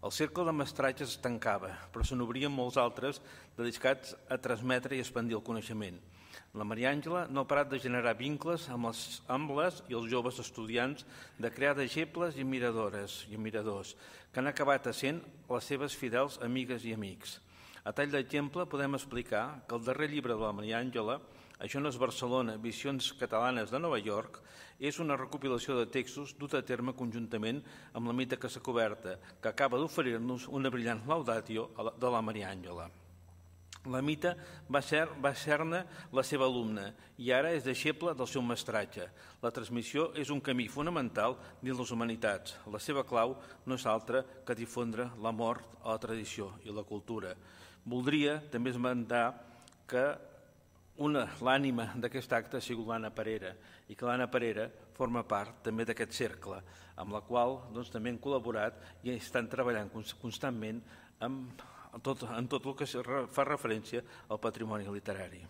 El cercle de mestratge es tancava, però se n'obrien molts altres dedicats a transmetre i expandir el coneixement. La Maria Àngela no ha parat de generar vincles amb les, amb les i els joves estudiants, de crear deixebles i miradores i miradors, que han acabat essent les seves fidels amigues i amics. A tall d'exemple, podem explicar que el darrer llibre de la Maria Àngela, Això no és Barcelona, Visions catalanes de Nova York, és una recopilació de textos dut a terme conjuntament amb la Mita Casa Coberta, que acaba d'oferir-nos una brillant laudatio de la Maria Àngela. La Mita va ser, va ser-ne la seva alumna i ara és deixeble del seu mestratge. La transmissió és un camí fonamental dins les humanitats. La seva clau no és altra que difondre l'amor a la tradició i la cultura. Voldria també esmentar que una, l'ànima d'aquest acte ha sigut l'Anna Parera i que l'Anna Parera forma part també d'aquest cercle, amb la qual doncs, també hem col·laborat i estan treballant constantment amb tot, en tot el que fa referència al patrimoni literari.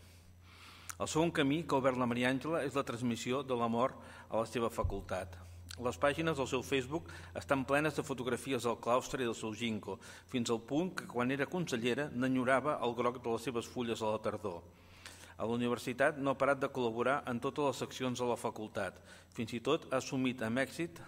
El segon camí que ha obert la Maria Àngela és la transmissió de l'amor a la seva facultat. Les pàgines del seu Facebook estan plenes de fotografies del claustre i del seu ginkgo, fins al punt que quan era consellera n'enyorava el groc de les seves fulles a la tardor. A la universitat no ha parat de col·laborar en totes les seccions de la facultat. Fins i tot ha assumit amb èxit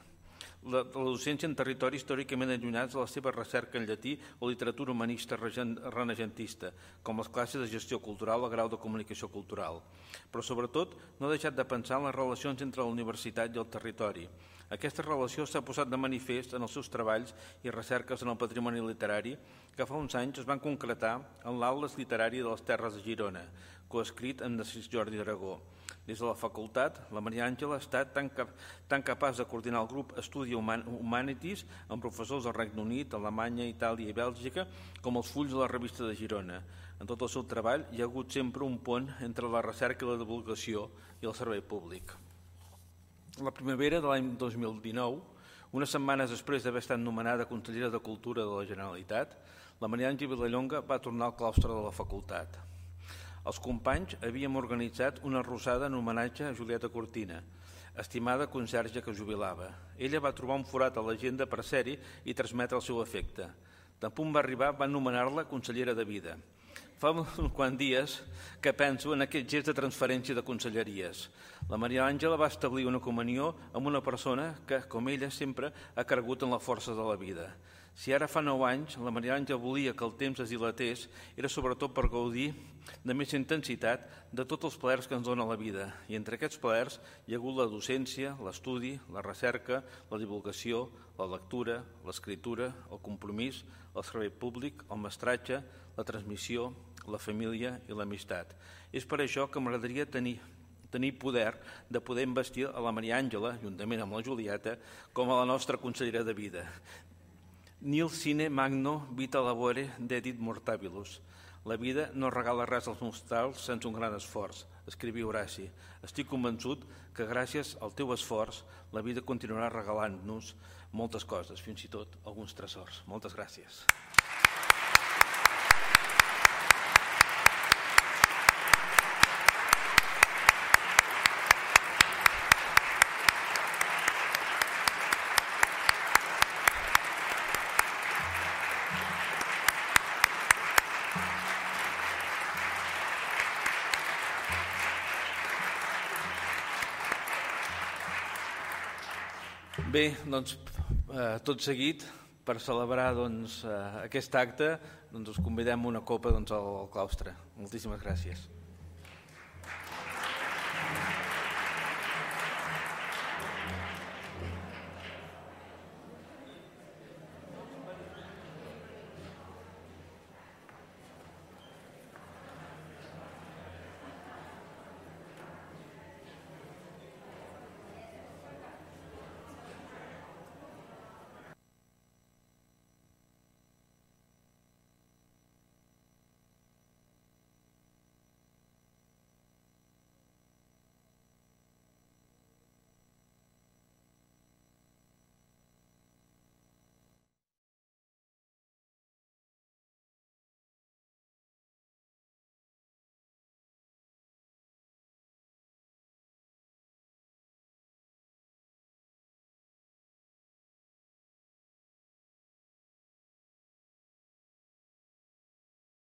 la, la docència en territoris històricament allunyats de la seva recerca en llatí o literatura humanista renegentista, com les classes de gestió cultural o grau de comunicació cultural. Però sobretot no ha deixat de pensar en les relacions entre la universitat i el territori. Aquesta relació s'ha posat de manifest en els seus treballs i recerques en el patrimoni literari que fa uns anys es van concretar en l'Atles Literari de les Terres de Girona, coescrit amb Narcís Jordi d'Aragó. Des de la facultat, la Maria Àngela ha estat tan, cap, tan capaç de coordinar el grup Estudi Humanities amb professors del Regne Unit, Alemanya, Itàlia i Bèlgica, com els fulls de la revista de Girona. En tot el seu treball hi ha hagut sempre un pont entre la recerca i la divulgació i el servei públic. La primavera de l'any dos mil dinou, unes setmanes després d'haver estat nomenada consellera de Cultura de la Generalitat, la Maria Àngela Vilallonga va tornar al claustre de la facultat. Els companys havíem organitzat una rosada en homenatge a Julieta Cortina, estimada conserge que jubilava. Ella va trobar un forat a l'agenda per ser-hi i transmetre el seu efecte. Tan punt va arribar, va nomenar-la consellera de vida. Fa uns quants dies que penso en aquest gest de transferència de conselleries. La Maria Àngela va establir una comunió amb una persona que, com ella, sempre ha cregut en la força de la vida. Si ara fa nou anys la Maria Àngela volia que el temps es dilatés, era sobretot per gaudir de més intensitat de tots els plaers que ens dona la vida. I entre aquests plaers hi ha hagut la docència, l'estudi, la recerca, la divulgació, la lectura, l'escriptura, el compromís, el servei públic, el mestratge, la transmissió, la família i l'amistat. És per això que m'agradaria tenir tenir poder de poder investir a la Maria Àngela, juntament amb la Julieta, com a la nostra consellera de vida. Nil sine magno vita labore dedit mortabilis. La vida no regala res als mortals sense un gran esforç, escrivia Horaci. Estic convençut que gràcies al teu esforç la vida continuarà regalant-nos moltes coses, fins i tot alguns tresors. Moltes gràcies. Bé, doncs, eh, tot seguit, per celebrar doncs, eh, aquest acte, doncs, us convidem una copa doncs, al claustre. Moltíssimes gràcies.